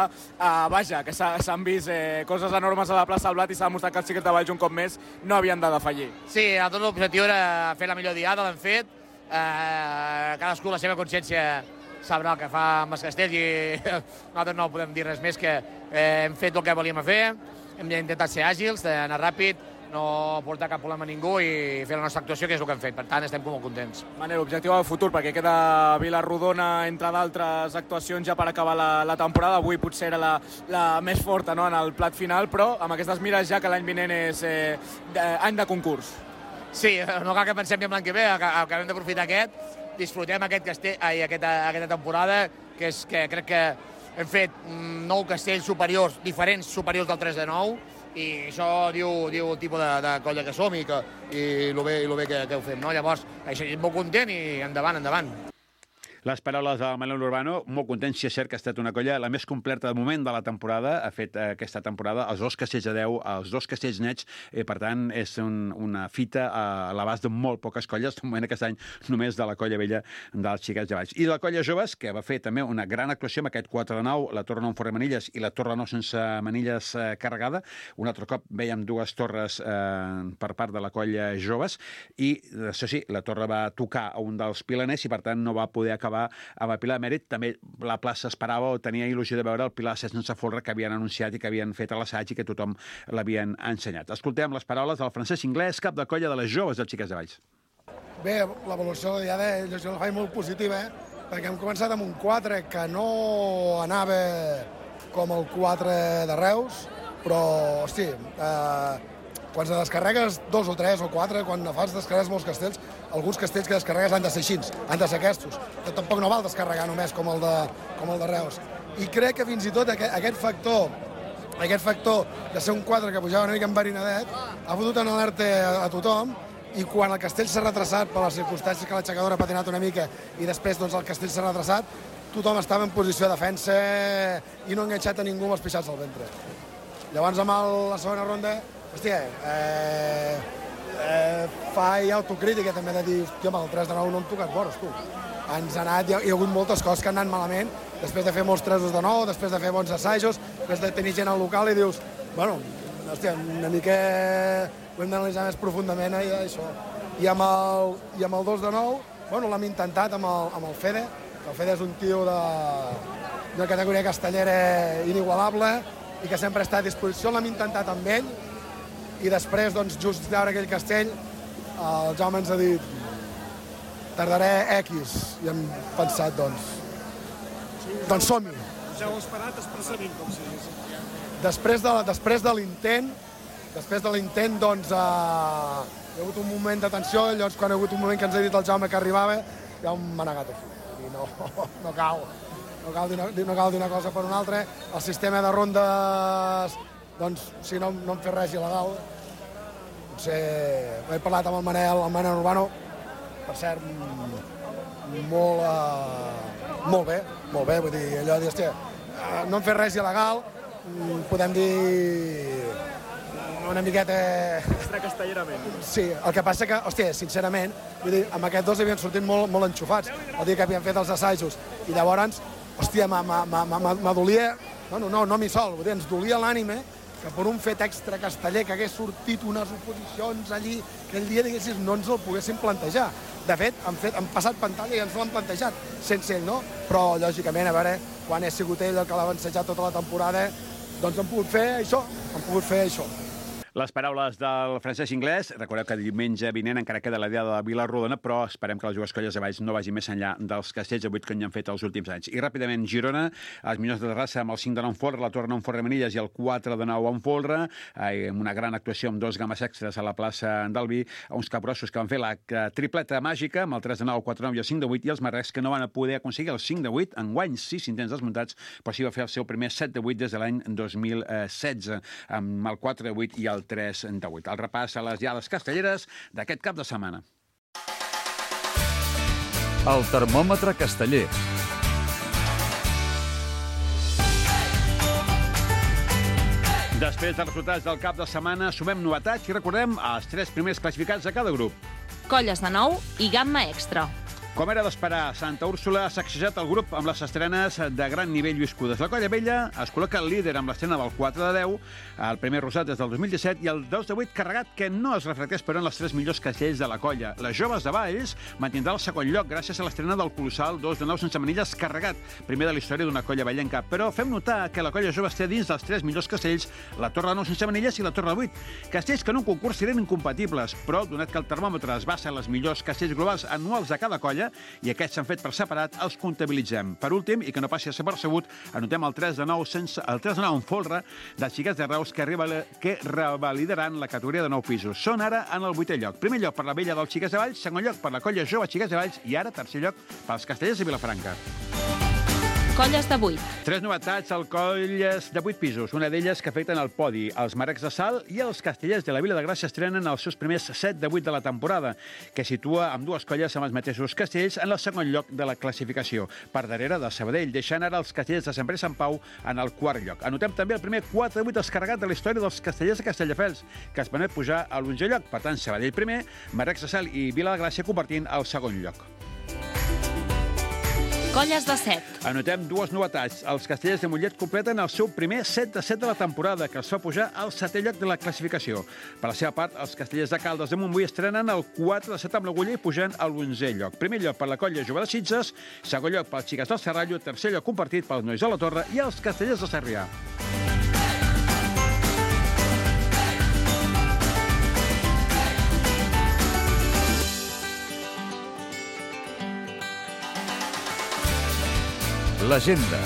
Speaker 8: vaja, que s'han vist coses enormes a la plaça del Blat i s'ha demostrat que els Xiques de Valls un cop més no havien de defallir.
Speaker 7: Sí, tot l'objectiu era fer la millor diada, l'hem fet. Cadascú la seva consciència sabrà el que fa amb els castells i nosaltres no podem dir res més que hem fet el que volíem fer, hem intentat ser àgils, anar ràpid, no portar cap problema a ningú i fer la nostra actuació, que és el que hem fet. Per tant, estem molt contents.
Speaker 8: Manel, objectiu de futur, perquè queda Vila-rodona, entre d'altres actuacions, ja per acabar la temporada. Avui potser era la més forta, no?, en el plat final, però amb aquestes mires ja que l'any vinent és any de concurs.
Speaker 7: Sí, no cal que pensem en l'any que ve, acabem d'aprofitar disfrutem aquesta temporada, que crec que hem fet 9 castells superiors, diferents superiors del 3 de 9, i això diu el tipus de colla que som i el bé que ho fem, no? Llavors, això és molt content i endavant.
Speaker 1: Les paraules del Manel Urbano, molt content, si és cert que ha estat una colla la més completa de moment de la temporada, ha fet aquesta temporada els 2 castells a 10, els 2 castells nets, per tant, és una fita a l'abast de molt poques colles, de moment aquest any només de la colla vella dels Xiquets de Valls. I de la colla joves, que va fer també una gran actuació amb aquest 4 de 9, la torre 9 fora manilles i la torre 9 sense manilles carregada. Un altre cop veiem 2 torres per part de la colla joves i, això sí, la torre va tocar a un dels pilaners i, per tant, no va poder acabar amb el Pilar de Mèrit. També la plaça esperava o tenia il·lusió de veure el Pilar sense folre que havien anunciat i que havien fet a l'assaig i que tothom l'havien ensenyat. Escoltem les paraules del Francesc Inglés, cap de colla de les joves dels Xiquets de Valls.
Speaker 9: Bé, l'evolució de diada jo la faig molt positiva, perquè hem començat amb un 4 que no anava com el 4 de Reus, però, hosti, quan se descarregues 2 o 3 o 4, quan fas descarregues molts castells, alguns castells que descarregues han de ser així, han de ser aquests. Que tampoc no val descarregar només com el de Reus. I crec que fins i tot aquest factor de ser un 4 que pujava una mica enverinadet ha fotut en alerta a tothom, i quan el castell s'ha retrasat per les circumstàncies que l'aixecadora ha patinat una mica i després doncs, el castell s'ha retrasat, tothom estava en posició de defensa i no ha enganxat a ningú amb els pixats al ventre. Llavors, amb la segona ronda, hòstia, fa autocrítica també de dir, hòstia, amb el 3 de 9 no hem tocat vores, tu. Ens ha anat, hi ha hagut moltes coses que han anat malament, després de fer molts 3 de 9, després de fer bons assajos, després de tenir gent al local i dius, bueno, hòstia, una mica ho hem d'analitzar més profundament, això. I amb el 2 de 9, bueno, l'hem intentat amb el Fede, que el Fede és un tio de categoria castellera inigualable i que sempre està a disposició, l'hem intentat amb ell, i després, doncs, just veure aquell castell, el Jaume ens ha dit tardaré X, i hem pensat, doncs som-hi.
Speaker 10: Ja ho heu esperat expressament, com si digués.
Speaker 9: Després de l'intent, doncs, hi ha hagut un moment de tensió, llavors quan hi ha hagut un moment que ens ha dit el Jaume que arribava, ja m'ha negat a fer. No cal dir una cosa per una altra. El sistema de rondes, doncs, si no hem fet res il·legal, potser he parlat amb el Manel Urbano, per cert, molt bé, vull dir, allò de dir, hòstia, no hem fet res il·legal, podem dir una miqueta...
Speaker 10: Extracastellerament.
Speaker 9: Sí, el que passa que, hòstia, sincerament, vull dir, amb aquests 2 havien sortit molt enxufats el dia que havien fet els assajos, i llavors, hòstia, m'adolia, no mi sol, vull dir, ens dolia l'ànime que per un fet extra casteller que hagués sortit unes oposicions allí, aquell dia, diguéssim, no ens el poguéssim plantejar. De fet, han passat pantalla i ens l'han plantejat, sense ell, no? Però, lògicament, a veure, quan he sigut ell el que l'ha avançejat tota la temporada, doncs hem pogut fer això.
Speaker 1: Les paraules del Francesc Inglés. Recordeu que diumenge vinent encara queda la diada de Vila-rodona, però esperem que les dues colles de Valls no vagin més enllà dels castells de 8 que n'hi han fet els últims anys. I ràpidament, Girona, els millors de Terrassa amb el 5 de 9 en folre, la torre 9 en folre manilles i el 4 de 9 en folre, amb una gran actuació amb 2 games extras a la plaça del Vi, uns capgrossos que van fer la tripleta màgica amb el 3 de 9, el 4 de 9 i el 5 de 8, i els marrecs que no van poder aconseguir el 5 de 8, enguany 6 intents desmuntats, però sí va fer el seu primer 7 de 8 des de l'any 2016, amb el 4 de 8 i el 3 de 8. El repàs a les diades castelleres d'aquest cap de setmana.
Speaker 2: El termòmetre casteller.
Speaker 1: Després dels resultats del cap de setmana, sumem novetats i recordem els 3 primers classificats de cada grup.
Speaker 11: Colles de 9 i gamma extra.
Speaker 1: Com era d'esperar, Santa Úrsula ha sacsejat el grup amb les estrenes de gran nivell viscudes. La colla vella es col·loca el líder amb l'estrena del 4 de 10, el primer rosat des del 2017, i el 2 de 8 carregat que no es reflecteix però en les 3 millors castells de la colla. Les joves de Valls mantindrà el segon lloc gràcies a l'estrena del colossal 2 de 9 sense manilles carregat, primer de la història d'una colla vellenca. Però fem notar que la colla jove té dins dels 3 millors castells la torre 9 sense manilles i la torre 8. Castells que en un concurs serien incompatibles, però donat que el termòmetre es basa en les millors castells globals anuals de cada colla, i aquests s'han fet per separat, els comptabilitzem. Per últim, i que no passi a ser percebut, anotem el 3 de 9 en folre dels Xiquets de Reus que revalidaran la categoria de 9 pisos. Són ara en el 8è lloc. Primer lloc per la vella dels Xiquets de Valls, segon lloc per la colla jove Xiquets de Valls i ara tercer lloc pels castellers de Vilafranca.
Speaker 11: Colles de 8.
Speaker 1: 3 novetats al Colles de 8 pisos, una d'elles que afecten el podi. Els Marecs de Salt i els Castellers de la Vila de Gràcia estrenen els seus primers 7 de 8 de la temporada, que situa amb dues colles amb els mateixos castells en el segon lloc de la classificació, per darrere de Sabadell, deixant ara els Castellers de Sant Pere i Sant Pau en el quart lloc. Anotem també el primer 4 de 8 descarregat de la història dels Castellers de Castelldefels, que es permet pujar a l'11è lloc. Per tant, Sabadell primer, Marecs de Salt i Vila de Gràcia compartint el segon lloc.
Speaker 11: Colles de 7.
Speaker 1: Anotem dues novetats. Els Castellers de Mollet completen el seu primer 7 de 7 de la temporada, que els fa pujar al 7è lloc de la classificació. Per la seva part, els Castellers de Caldes de Montbui estrenen el 4 de 7 amb l'Aguller i pujant a l'11è lloc. Primer lloc per la colla Jove de Sitges, segon lloc pels Xiques del Serrallo, tercer lloc compartit pels Nois de la Torre i els Castellers de Sarrià.
Speaker 2: L'agenda.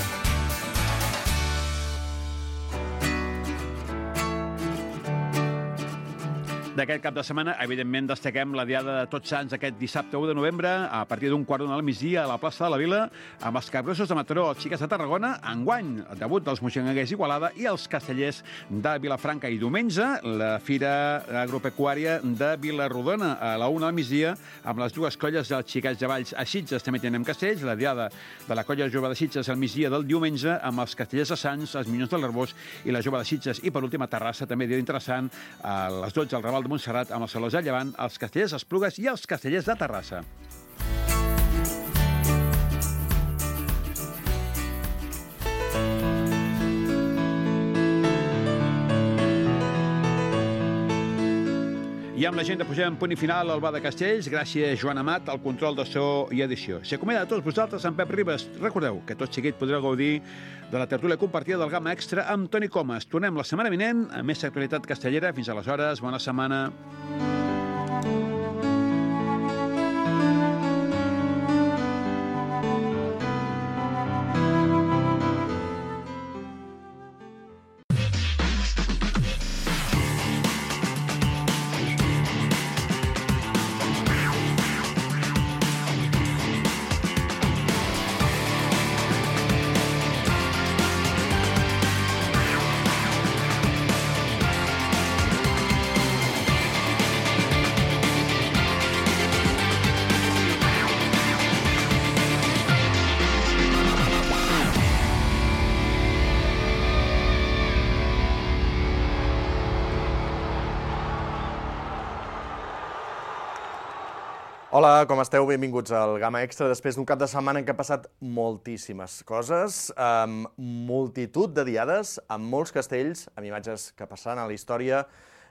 Speaker 1: D'aquest cap de setmana, evidentment, destaquem la Diada de Tots Sants aquest dissabte 1 de novembre, a partir d'un quart d'una al migdia a la plaça de la Vila, amb els Capgrossos de Mataró, els Xiques de Tarragona, enguany, el debut dels Moixonguencs Igualada i els Castellers de Vilafranca. I diumenge, la Fira Agropecuària de Vilarrodona, a la 1 al migdia, amb les dues colles dels Xiquets de Valls. A Sitges també tenim castells, la Diada de la colla Jove de Sitges al migdia del diumenge, amb els Castellers de Sants, els Minyons de l'Arbós i la Jove de Sitges. I, per últim, a Terrassa, també dia interessant, a les 12 al Raval de Montserrat, amb els Salós de Llevant, els Castellers d'Esplugues i els Castellers de Terrassa. I amb l'agenda posem punt i final al Bar de Castells. Gràcies, Joan Amat, al control de so i edició. S'acomiada a tots vosaltres amb Pep Ribas. Recordeu que tot seguit podreu gaudir de la tertúlia compartida del Gamma Extra amb Toni Comas. Tornem la setmana vinent amb més actualitat castellera. Fins aleshores, bona setmana.
Speaker 12: Hola, com esteu? Benvinguts al Gamma Extra. Després d'un cap de setmana en què ha passat moltíssimes coses, amb multitud de diades, amb molts castells, amb imatges que passaran a la història,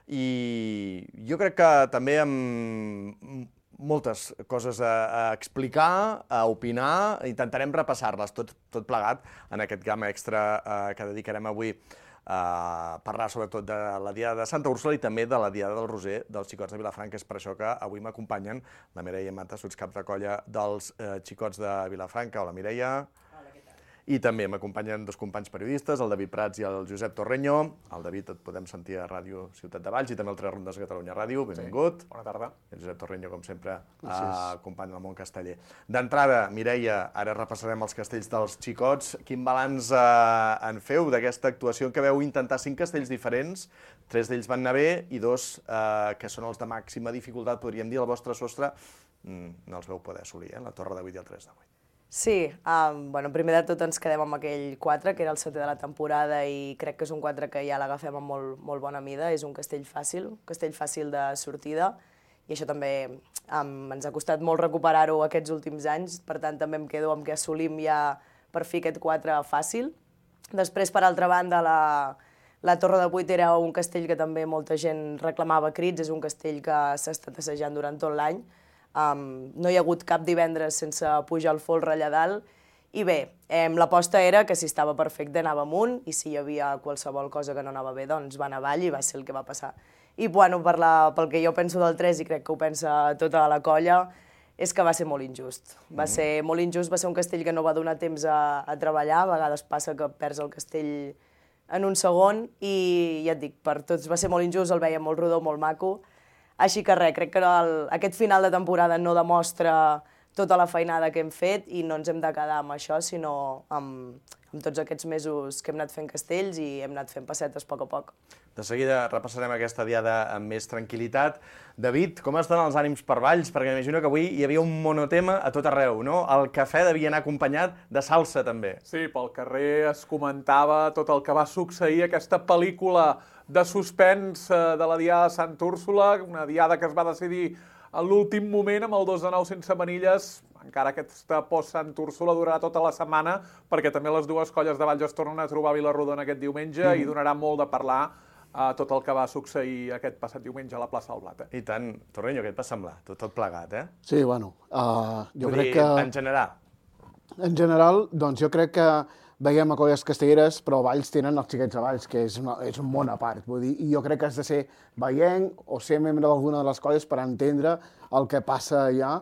Speaker 12: i jo crec que també amb moltes coses a explicar, a opinar, intentarem repassar-les tot plegat en aquest Gamma Extra que dedicarem avui a parlar sobretot de la Diada de Santa Úrsula i també de la Diada del Roser dels Xicots de Vilafranca. És per això que avui m'acompanyen la Mireia Mata, sotscap de colla dels Xicots de Vilafranca. Hola, Mireia. I també m'acompanyen dos companys periodistes, el David Prats i el Josep Torreño. El David et podem sentir a Ràdio Ciutat de Valls i també al Tres Rondes de Catalunya Ràdio. Benvingut.
Speaker 10: Bona tarda.
Speaker 12: El Josep Torreño, com sempre, acompanya el món casteller. D'entrada, Mireia, ara repassarem els castells dels Xicots. Quin balanç en feu d'aquesta actuació en què veu intentar 5 castells diferents? 3 d'ells van anar bé i 2, que són els de màxima dificultat, podríem dir, el vostre sostre, no els veu poder assolir, la Torre de 8 i el 3 de 8.
Speaker 13: Sí, primer de tot ens quedem amb aquell 4, que era el 7è de la temporada, i crec que és un 4 que ja l'agafem amb molt bona mida. És un castell fàcil de sortida, i això també ens ha costat molt recuperar-ho aquests últims anys, per tant també em quedo amb que assolim ja per fi aquest 4 fàcil. Després, per altra banda, la Torre de 8 era un castell que també molta gent reclamava crits, és un castell que s'ha estat assajant durant tot l'any. No hi ha hagut cap divendres sense pujar el folre allà dalt, i bé, l'aposta era que si estava perfecte anava amunt, i si hi havia qualsevol cosa que no anava bé, doncs va anar avall, i va ser el que va passar. I bueno, pel que jo penso del 3, i crec que ho pensa tota la colla, és que va ser molt injust. Va ser molt injust, va ser un castell que no va donar temps a treballar, a vegades passa que perds el castell en un segon, i ja et dic, per tots va ser molt injust, el veiem molt rodó, molt maco. Així que res, crec que aquest final de temporada no demostra tota la feinada que hem fet i no ens hem de quedar amb això, sinó amb tots aquests mesos que hem anat fent castells i hem anat fent passetes a poc a poc.
Speaker 12: De seguida repassarem aquesta diada amb més tranquil·litat. David, com estan els ànims per Valls? Perquè m'imagino que avui hi havia un monotema a tot arreu, no? El cafè devia anar acompanyat de salsa, també.
Speaker 14: Sí, pel carrer es comentava tot el que va succeir, aquesta pel·lícula de suspens de la diada de Sant Úrsula, una diada que es va decidir a l'últim moment amb el 2 de 9 sense manilles. Encara aquesta post-Sant Úrsula durarà tota la setmana, perquè també les dues colles de Valls es tornen a trobar a Vilarrodona aquest diumenge i donarà molt de parlar tot el que va succeir aquest passat diumenge a la plaça del Blat.
Speaker 12: I tant. Torreño, què et va semblar? Tot plegat, eh?
Speaker 15: Sí, bueno, jo crec que...
Speaker 12: En general?
Speaker 15: En general, doncs jo crec que veiem a colles castelleres, però Valls tenen els xiquets de Valls, que és un món a part. Vull dir, i jo crec que has de ser veient o ser membre d'alguna de les colles per entendre el que passa allà,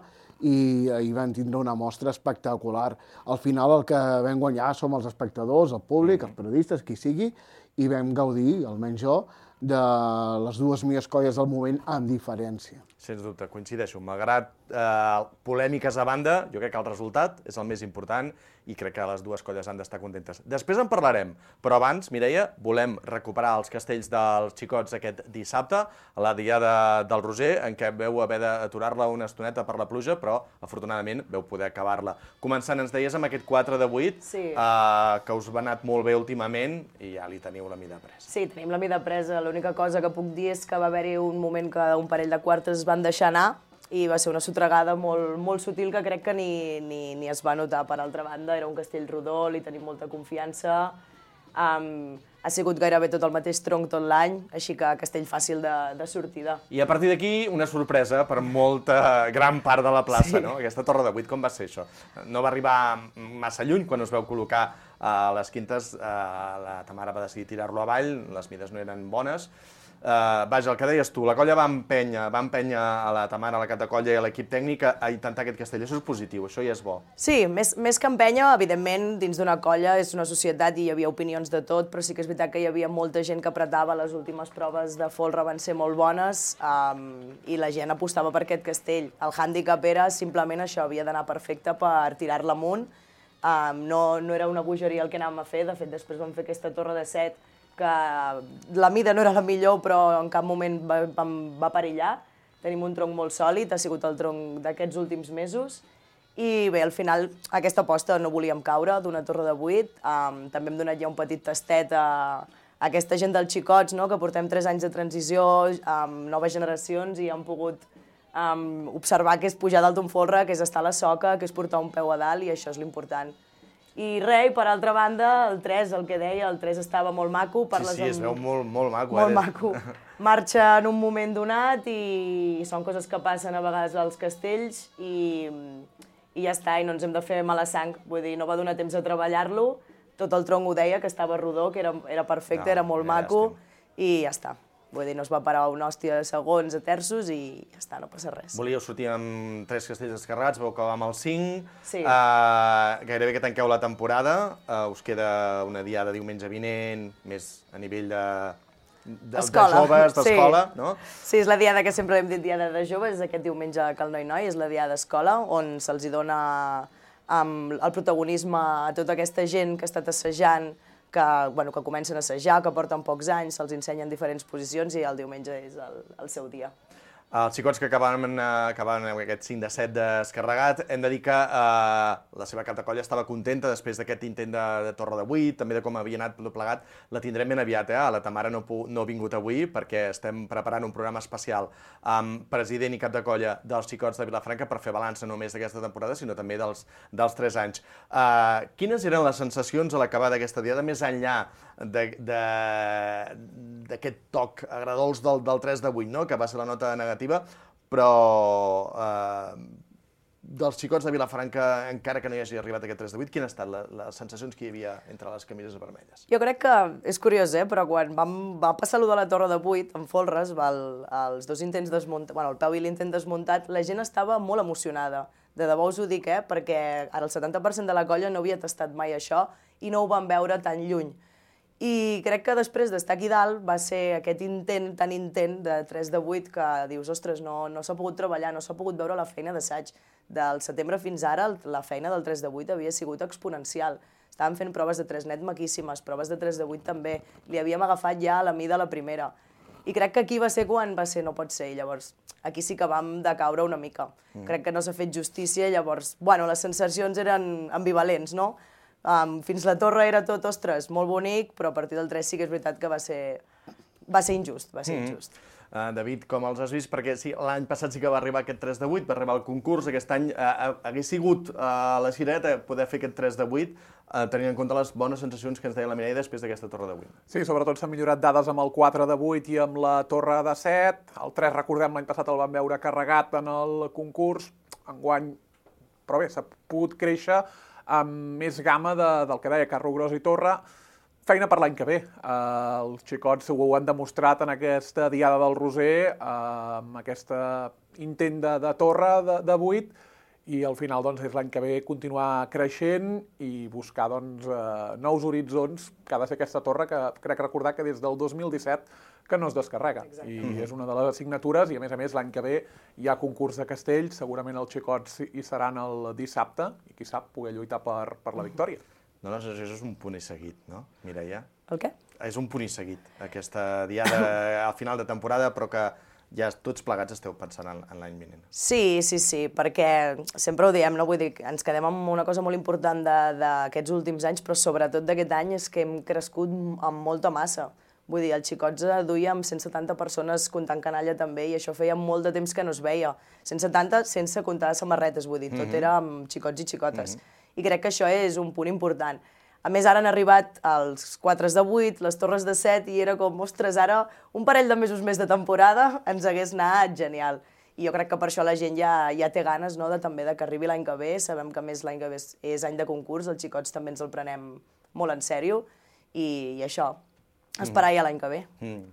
Speaker 15: i ahir vam tindre una mostra espectacular. Al final el que vam guanyar som els espectadors, el públic, els periodistes, qui sigui, i vam gaudir, almenys jo, de les dues millors colles del moment amb diferència.
Speaker 12: Sens dubte, coincideixo. Malgrat polèmiques a banda, jo crec que el resultat és el més important i crec que les dues colles han d'estar contentes. Després en parlarem, però abans, Mireia, volem recuperar els castells dels xicots aquest dissabte, a la diada del Roser, en què veu haver d'aturar-la una estoneta per la pluja, però afortunadament veu poder acabar-la. Començant, ens deies, amb aquest 4 de 8, que us va anat molt bé últimament i ja li teniu la mida presa.
Speaker 13: Sí, tenim la mida presa. L'única cosa que puc dir és que va haver-hi un moment que un parell de quartes van deixar anar i va ser una sotregada molt sutil que crec que ni es va notar. Per altra banda, era un castell rodó, li tenim molta confiança, ha sigut gairebé tot el mateix tronc tot l'any, així que castell fàcil de sortida.
Speaker 12: I a partir d'aquí, una sorpresa per gran part de la plaça, no? Aquesta torre de 8, com va ser això? No va arribar massa lluny quan us veu col·locar a les quintes, la Tamara va decidir tirar-lo avall, les mides no eren bones. Vaja, el que deies tu, la colla va empènyer a la Tamara, a la cap de colla i a l'equip tècnic a intentar aquest castell. Això és positiu, això ja és bo.
Speaker 13: Sí, més que empènyer, evidentment, dins d'una colla és una societat i hi havia opinions de tot, però sí que és veritat que hi havia molta gent que apretava, les últimes proves de folre van ser molt bones i la gent apostava per aquest castell. El hàndicap era simplement això, havia d'anar perfecte per tirar-la amunt. No era una bogeria el que anàvem a fer, de fet després vam fer aquesta torre de 7 que la mida no era la millor, però en cap moment va perillar. Tenim un tronc molt sòlid, ha sigut el tronc d'aquests últims mesos. I bé, al final, aquesta aposta no volíem caure d'una torre de 8. També hem donat ja un petit tastet a aquesta gent dels xicots, que portem 3 anys de transició, amb noves generacions, i han pogut observar que és pujar dalt d'un folre, que és estar a la soca, que és portar un peu a dalt, i això és l'important. I res, per altra banda, el 3, el que deia, el 3 estava molt maco.
Speaker 12: Sí, es veu molt maco.
Speaker 13: Molt maco. Marxa en un moment donat i són coses que passen a vegades als castells i ja està, i no ens hem de fer mala sang. Vull dir, no va donar temps a treballar-lo, tot el tronc ho deia, que estava rodó, que era perfecte, era molt maco, i ja està. Vull dir, no es va parar una hòstia de segons, a terços, i ja està, no passa res.
Speaker 12: Volíeu sortir amb 3 castells descarregats, vau acabar amb el 5.
Speaker 13: Sí.
Speaker 12: Gairebé que tanqueu la temporada. Us queda una diada diumenge vinent, més a nivell de joves, d'escola, no?
Speaker 13: Sí, és la diada que sempre hem dit diada de joves, és aquest diumenge a Cal Noi, és la diada d'escola, on se'ls dona el protagonisme a tota aquesta gent que ha estat assajant, que comencen a assajar, que porten pocs anys, se'ls ensenyen diferents posicions i el diumenge és el seu dia.
Speaker 12: Els xicots que acabaven aquest 5 de 7 descarregat, hem de dir que la seva cap de colla estava contenta després d'aquest intent de torre de 8, també de com havia anat tot plegat. La tindrem ben aviat, La Tamara no ha vingut avui perquè estem preparant un programa especial amb president i cap de colla dels xicots de Vilafranca per fer balanç no només d'aquesta temporada, sinó també dels 3 anys. Quines eren les sensacions a l'acabar d'aquesta diada, més enllà d'aquest toc agradols del 3 de 8, que va ser la nota negativa, però dels xicots de Vilafranca, encara que no hi hagi arribat aquest 3 de 8, quines han estat les sensacions que hi havia entre les camises vermelles?
Speaker 13: Jo crec que és curiós, però quan va passar allò de la torre de 8, amb folres, els dos intents desmuntats, el peu i l'intent desmuntat, la gent estava molt emocionada. De debò us ho dic, perquè ara el 70% de la colla no havia tastat mai això i no ho van veure tan lluny. I crec que després d'estar aquí dalt va ser aquest intent tan intent de 3 de 8 que dius, ostres, no s'ha pogut treballar, no s'ha pogut veure la feina d'assaig. Del setembre fins ara, la feina del 3 de 8 havia sigut exponencial. Estàvem fent proves de 3 net maquíssimes, proves de 3 de 8 també. Li havíem agafat ja a la mida la primera. I crec que aquí va ser quan va ser no pot ser. I llavors, aquí sí que vam decaure una mica. Crec que no s'ha fet justícia, llavors, bueno, les sensacions eren ambivalents, no? Fins la torre era tot, ostres, molt bonic, però a partir del 3 sí que és veritat que va ser injust, va ser injust.
Speaker 12: David, com els has vist? Perquè sí, l'any passat sí que va arribar aquest 3 de 8, va arribar al concurs, aquest any hagués sigut a la Cireta poder fer aquest 3 de 8, tenint en compte les bones sensacions que ens deia la Mireia després d'aquesta torre de 8.
Speaker 14: Sí, sobretot s'han millorat dades amb el 4 de 8 i amb la torre de 7. El 3, recordem, l'any passat el vam veure carregat en el concurs. Enguany, però bé, s'ha pogut créixer amb més gamma del que deia Carro Gros i Torre. Feina per l'any que ve. Els xicots ho han demostrat en aquesta Diada del Roser, amb aquest intent de torre de 8, i al final és l'any que ve continuar creixent i buscar nous horitzons que ha de ser aquesta torre, que crec recordar que des del 2017 que no es descarrega. I és una de les assignatures, i a més l'any que ve hi ha concurs de castells, segurament els xicots hi seran el dissabte, i qui sap, poder lluitar per la victòria.
Speaker 12: No, això és un punt i seguit, no, Mireia?
Speaker 13: El què?
Speaker 12: És un punt i seguit, aquesta Diada al final de temporada, però que ja tots plegats esteu pensant en l'any vinent.
Speaker 13: Sí, perquè sempre ho diem, no? Vull dir, ens quedem amb una cosa molt important d'aquests últims anys, però sobretot d'aquest any és que hem crescut amb molta massa. Vull dir, els xicots duíem 170 persones comptant canalla també, i això feia molt de temps que no es veia. 170 sense comptar samarretes, vull dir, tot era amb xicots i xicotes. I crec que això és un punt important. A més, ara han arribat els 4 de 8, les torres de 7, i era com, ostres, ara un parell de mesos més de temporada ens hagués anat genial. I jo crec que per això la gent ja té ganes també que arribi l'any que ve. Sabem que més l'any que ve és any de concurs, els xicots també ens el prenem molt en sèrio, i això, esperar ja l'any que ve.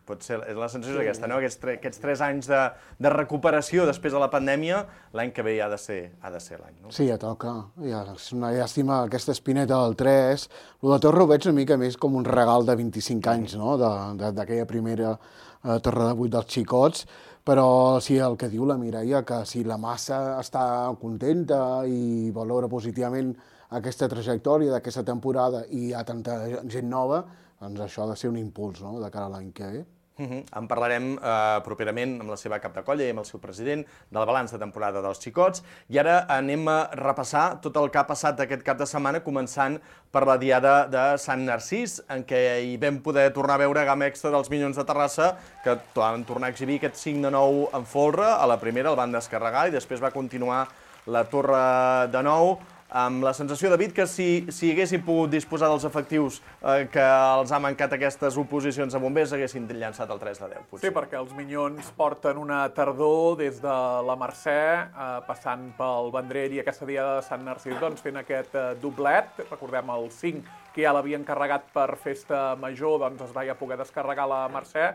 Speaker 12: Pot ser, és la sensació aquesta, no? Aquests 3 anys de recuperació després de la pandèmia, l'any que ve ja ha de ser l'any, no?
Speaker 15: Sí, ja toca. És una llàstima aquesta espineta del 3. Lo de Torre ho veig una mica més com un regal de 25 anys, no?, d'aquella primera torre de 8 dels xicots, però sí, el que diu la Mireia, que si la massa està contenta i valora positivament aquesta trajectòria d'aquesta temporada i hi ha tanta gent nova, doncs això ha de ser un impuls, no?, de cara a l'any que ve.
Speaker 12: En parlarem properament amb la seva cap de colla i amb el seu president del balanç de temporada dels xicots. I ara anem a repassar tot el que ha passat aquest cap de setmana, començant per la Diada de Sant Narcís, en què hi vam poder tornar a veure gamma extra dels Minyons de Terrassa, que van tornar a exhibir aquest 5-9 en folre. A la primera el van descarregar i després va continuar la torre de 9, amb la sensació, David, que si haguessin pogut disposar dels efectius que els ha mancat aquestes oposicions a bombers, haguessin llançat el 3 de 10, potser.
Speaker 14: Sí, perquè els Minyons porten una tardor des de la Mercè, passant pel Vendrell i aquesta Diada de Sant Narcís, doncs fent aquest doblet. Recordem el 5, que ja l'havien carregat per festa major, doncs es va ja poder descarregar la Mercè,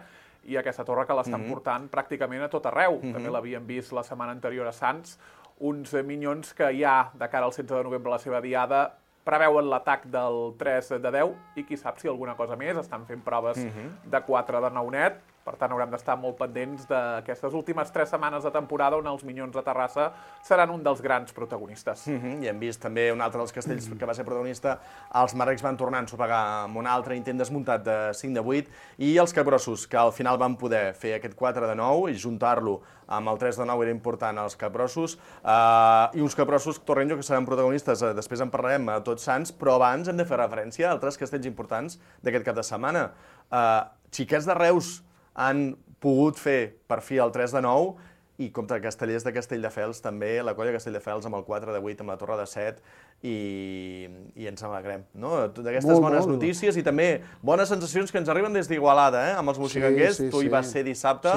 Speaker 14: i aquesta torre que l'estan portant pràcticament a tot arreu. També l'havien vist la setmana anterior a Sants, uns Minyons que ja, de cara al 16 de novembre, la seva Diada, preveuen l'atac del 3 de 10, i qui sap si alguna cosa més, estan fent proves de 4 de 9 net, per tant haurem d'estar molt pendents d'aquestes últimes 3 setmanes de temporada on els Minyons de Terrassa seran un dels grans protagonistes.
Speaker 12: I hem vist també un altre dels castells que va ser protagonista, els Marrecs van tornar a ensopegar amb un altre intent desmuntat de 5 de 8, i els Capgrossos, que al final van poder fer aquest 4 de 9 i juntar-lo amb el 3 de 9 era important als Capgrossos, i uns Capgrossos, Torrenjo, que seran protagonistes, després en parlarem a Tots Sants, però abans hem de fer referència a altres castells importants d'aquest cap de setmana. Xiquets de Reus han pogut fer per fi el 3 de 9, i contra Castellers de Castelldefels també, la colla Castelldefels amb el 4 de 8, amb la torre de 7, i ens alegrem, no? D'aquestes bones notícies i també bones sensacions que ens arriben des d'Igualada, amb els moxiganguers. Tu hi vas ser dissabte,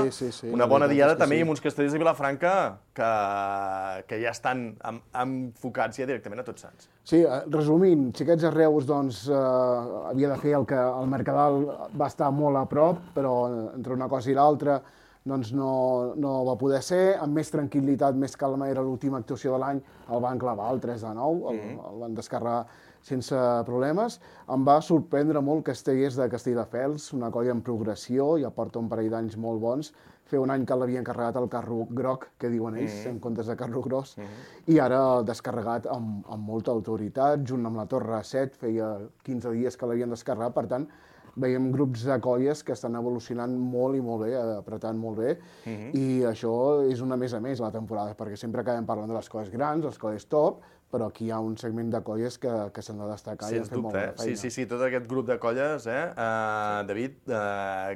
Speaker 12: una bona diada també, i amb uns castellers de Vilafranca que ja estan enfocats ja directament a Tots Sants.
Speaker 15: Sí, resumint, Xiquets de Reus havia de fer el que el Mercadal va estar molt a prop, però entre una cosa i l'altra doncs no va poder ser. Amb més tranquil·litat, més calma, era l'última actuació de l'any, el van clavar el 3 de 9, el van descarregar sense problemes. Em va sorprendre molt Castellers de Castelldefels, una colla en progressió, ja porta un parell d'anys molt bons. Feia un any que l'havien carregat el carro groc, que diuen ells, en comptes de carro gros, i ara descarregat amb molta autoritat, junt amb la Torre 7, feia 15 dies que l'havien descarregat, per tant, veiem grups de colles que estan evolucionant molt i molt bé, apretant molt bé, i això és una més a més la temporada, perquè sempre acabem parlant de les colles grans, les colles top, però aquí hi ha un segment de colles que s'han de destacar i han fet molt bona feina.
Speaker 12: Sí, tot aquest grup de colles, David,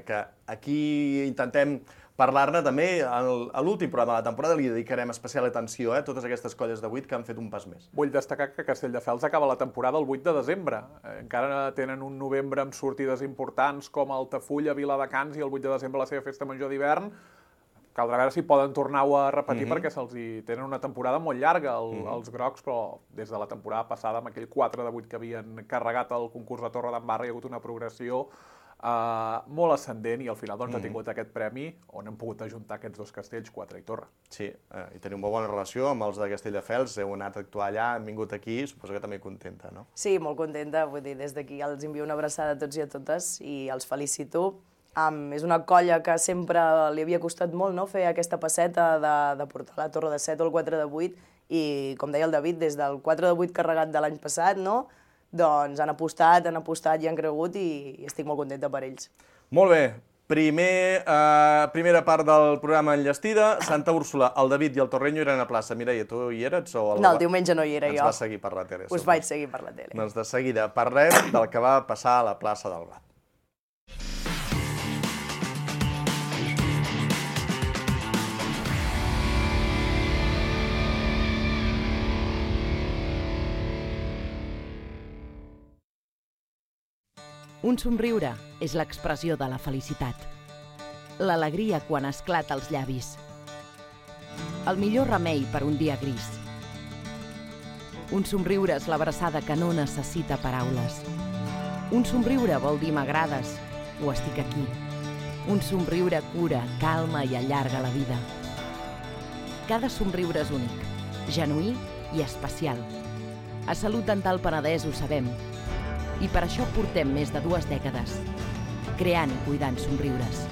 Speaker 12: que aquí intentem parlar-ne també, a l'últim programa de la temporada li dedicarem especial atenció a totes aquestes colles de 8 que han fet un pas més.
Speaker 14: Vull destacar que Castelldefels acaba la temporada el 8 de desembre. Encara tenen un novembre amb sortides importants com Altafulla, Viladecans i el 8 de desembre la seva festa major d'hivern. Caldrà veure si poden tornar-ho a repetir perquè tenen una temporada molt llarga els grocs, però des de la temporada passada, amb aquell 4 de 8 que havien carregat el concurs de Torre d'en Barra, hi ha hagut una progressió molt ascendent i al final ha tingut aquest premi on hem pogut ajuntar aquests dos castells, 4 i Torre.
Speaker 12: Sí, i tenim molt bona relació amb els de Castelldefels, heu anat a actuar allà, han vingut aquí, suposo que també contenta, no?
Speaker 13: Sí, molt contenta, vull dir, des d'aquí els envio una abraçada a tots i a totes i els felicito. És una colla que sempre li havia costat molt fer aquesta passeta de portar la Torre de 7 o el 4 de 8 i, com deia el David, des del 4 de 8 carregat de l'any passat, doncs han apostat i han cregut i estic molt contenta per ells.
Speaker 12: Molt bé. Primera part del programa enllestida. Santa Úrsula, el David i el Torreño eren a plaça. Mireia, tu hi eres?
Speaker 13: No, el diumenge no hi era jo.
Speaker 12: Ens vas seguir per la tele.
Speaker 13: Us vaig seguir per la tele.
Speaker 12: Doncs de seguida parlem del que va passar a la plaça del Blat.
Speaker 16: Un somriure és l'expressió de la felicitat. L'alegria quan esclata als llavis. El millor remei per un dia gris. Un somriure és l'abraçada que no necessita paraules. Un somriure vol dir m'agrades o estic aquí. Un somriure cura, calma i allarga la vida. Cada somriure és únic, genuí i especial. A Salut Dental Penedès ho sabem. I per això portem més de 2 dècades, creant i cuidant somriures.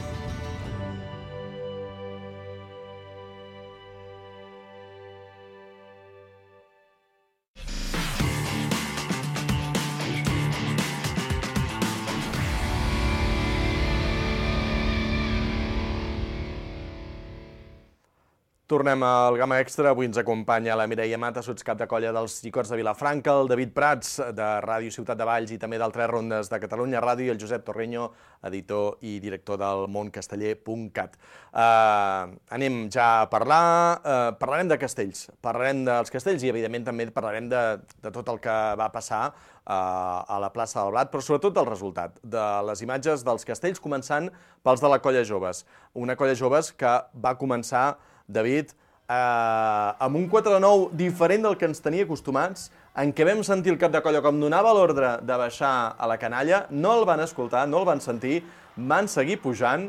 Speaker 12: Tornem al Gamma Extra. Avui ens acompanya la Mireia Mata, sotscap de colla dels Xicots de Vilafranca, el David Prats, de Ràdio Ciutat de Valls i també d'Altres Rondes de Catalunya Ràdio, i el Josep Torreño, editor i director del moncasteller.cat. Anem ja a parlar. Parlarem de castells. Parlarem dels castells i, evidentment, també parlarem de tot el que va passar a la plaça del Blat, però sobretot del resultat, de les imatges dels castells, començant pels de la colla joves. Una colla joves que va començar, David, amb un 4-9 diferent del que ens tenia acostumats, en què vam sentir el cap de colla com donava l'ordre de baixar a la canalla, no el van escoltar, no el van sentir, van seguir pujant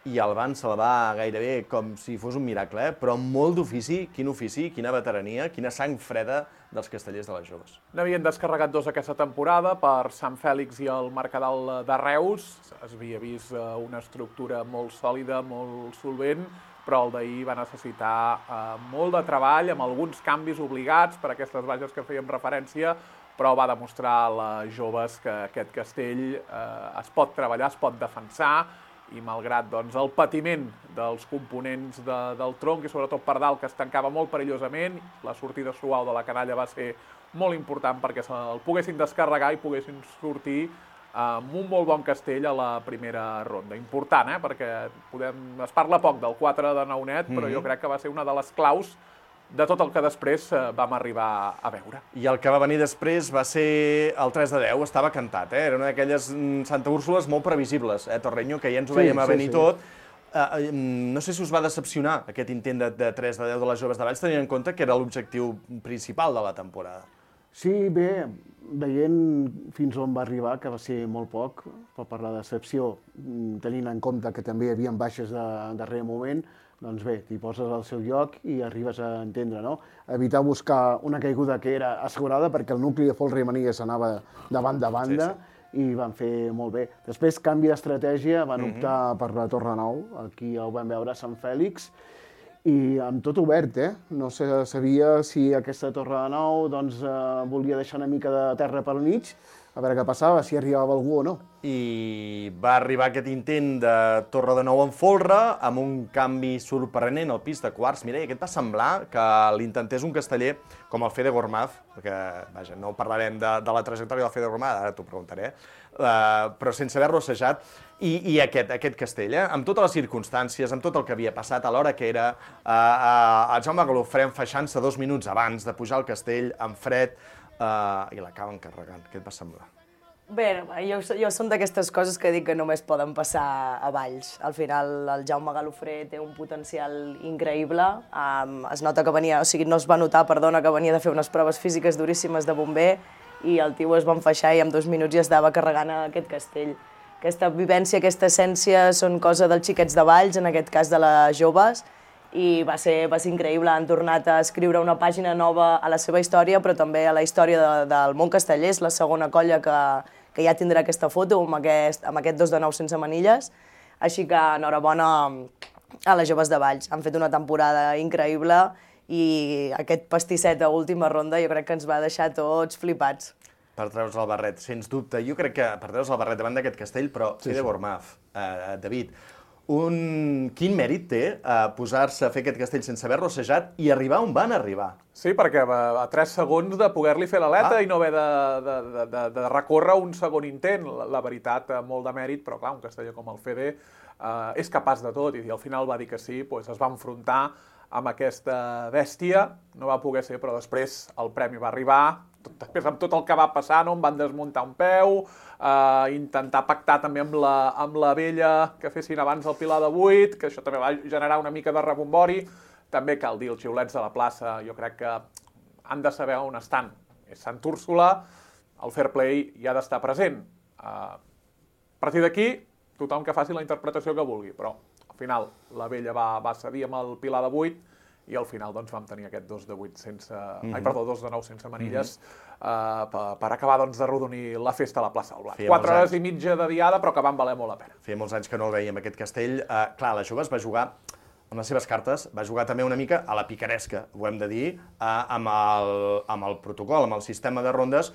Speaker 12: i el van salvar gairebé com si fos un miracle, però amb molt d'ofici, quina veterania, quina sang freda dels castellers de les joves.
Speaker 14: N'havien descarregat 2 aquesta temporada per Sant Fèlix i el Mercadal de Reus. Es havia vist una estructura molt sòlida, molt solvent, però el d'ahir va necessitar molt de treball, amb alguns canvis obligats per aquestes baixes que fèiem referència, però va demostrar a les joves que aquest castell es pot treballar, es pot defensar, i malgrat el patiment dels components del tronc i sobretot per dalt, que es tancava molt perillosament, la sortida suau de la canalla va ser molt important perquè el poguessin descarregar i poguessin sortir amb un molt bon castell a la primera ronda. Important, perquè es parla poc del 4 de Naunet, però jo crec que va ser una de les claus de tot el que després vam arribar a veure.
Speaker 12: I el que va venir després va ser el 3 de 10, estava cantat, era una d'aquelles Santa Úrsules molt previsibles, Torreño, que ja ens ho veiem a venir tot. No sé si us va decepcionar aquest intent de 3 de 10 de les joves de Valls, tenint en compte que era l'objectiu principal de la temporada.
Speaker 15: Sí, bé, veient fins on va arribar, que va ser molt poc, per la decepció, tenint en compte que també hi havia baixes de darrer moment, doncs bé, t'hi poses al seu lloc i arribes a entendre, no? Evitar buscar una caiguda que era assegurada perquè el nucli de Folra i Manilles anava de banda a banda i van fer molt bé. Després, canvi d'estratègia, van optar per la Torre Nou, aquí ho vam veure a Sant Fèlix, i amb tot obert, No se sabia si aquesta Torre de Nou volia deixar una mica de terra pel mig, a veure què passava, si arribava algú o no.
Speaker 12: I va arribar aquest intent de Torre de Nou en folre, amb un canvi sorprenent al pis de quarts. Mireia, què et va semblar que l'intentés un casteller com el Fede Gormaz, perquè, vaja, no parlarem de la trajectòria del Fede Gormaz, ara t'ho preguntaré, però sense haver-lo assajat, i aquest castell, amb totes les circumstàncies, amb tot el que havia passat, a l'hora que era, el Jaume Galofré enfaixant-se 2 minuts abans de pujar al castell, en fred, i l'acaben carregant. Què et va semblar?
Speaker 13: Bé, jo són d'aquestes coses que dic que només poden passar a Valls. Al final, el Jaume Galofré té un potencial increïble. Es nota que venia, o sigui, no es va notar, perdona, que venia de fer unes proves físiques duríssimes de bomber i el tio es va enfaixar i en 2 minuts ja estava carregant aquest castell. Aquesta vivència, aquesta essència són cosa dels xiquets de Valls, en aquest cas de les joves, i va ser increïble. Han tornat a escriure una pàgina nova a la seva història, però també a la història del món casteller. És la segona colla que ja tindrà aquesta foto amb aquest 2 de 9 sense manilles. Així que enhorabona a les joves de Valls. Han fet una temporada increïble i aquest pastisset a última ronda jo crec que ens va deixar tots flipats.
Speaker 12: Per treure's el barret, sens dubte. Jo crec que per treure's el barret davant d'aquest castell, però Fede Gormaz, David, quin mèrit té posar-se a fer aquest castell sense haver-lo assajat i arribar on van arribar?
Speaker 14: Sí, perquè a 3 segons de poder-li fer l'aleta i no haver de recórrer un segon intent. La veritat, molt de mèrit, però clar, un casteller com el Fede és capaç de tot, i al final va dir que sí, es va enfrontar amb aquesta bèstia, no va poder ser, però després el premi va arribar, després amb tot el que va passar, no? Em van desmuntar un peu, intentar pactar també amb la vella que fessin abans el Pilar de 8, que això també va generar una mica de rebombori. També cal dir, els xiulets de la plaça, jo crec que han de saber on estan. És Sant Úrsula, el fair play hi ha d'estar present. A partir d'aquí, tothom que faci la interpretació que vulgui, però al final la vella va cedir amb el Pilar de 8 i al final doncs, vam tenir aquest 2 de 8 sense... Perdó, 2 de 9 sense manilles per acabar doncs, de rodonir la festa a la plaça del Blat. 4 hores i mitja de diada, però que van valer molt la pena.
Speaker 12: Feia molts anys que no el veiem, aquest castell. Clar, les joves va jugar amb les seves cartes, va jugar també una mica a la picaresca, ho hem de dir, amb el protocol, amb el sistema de rondes,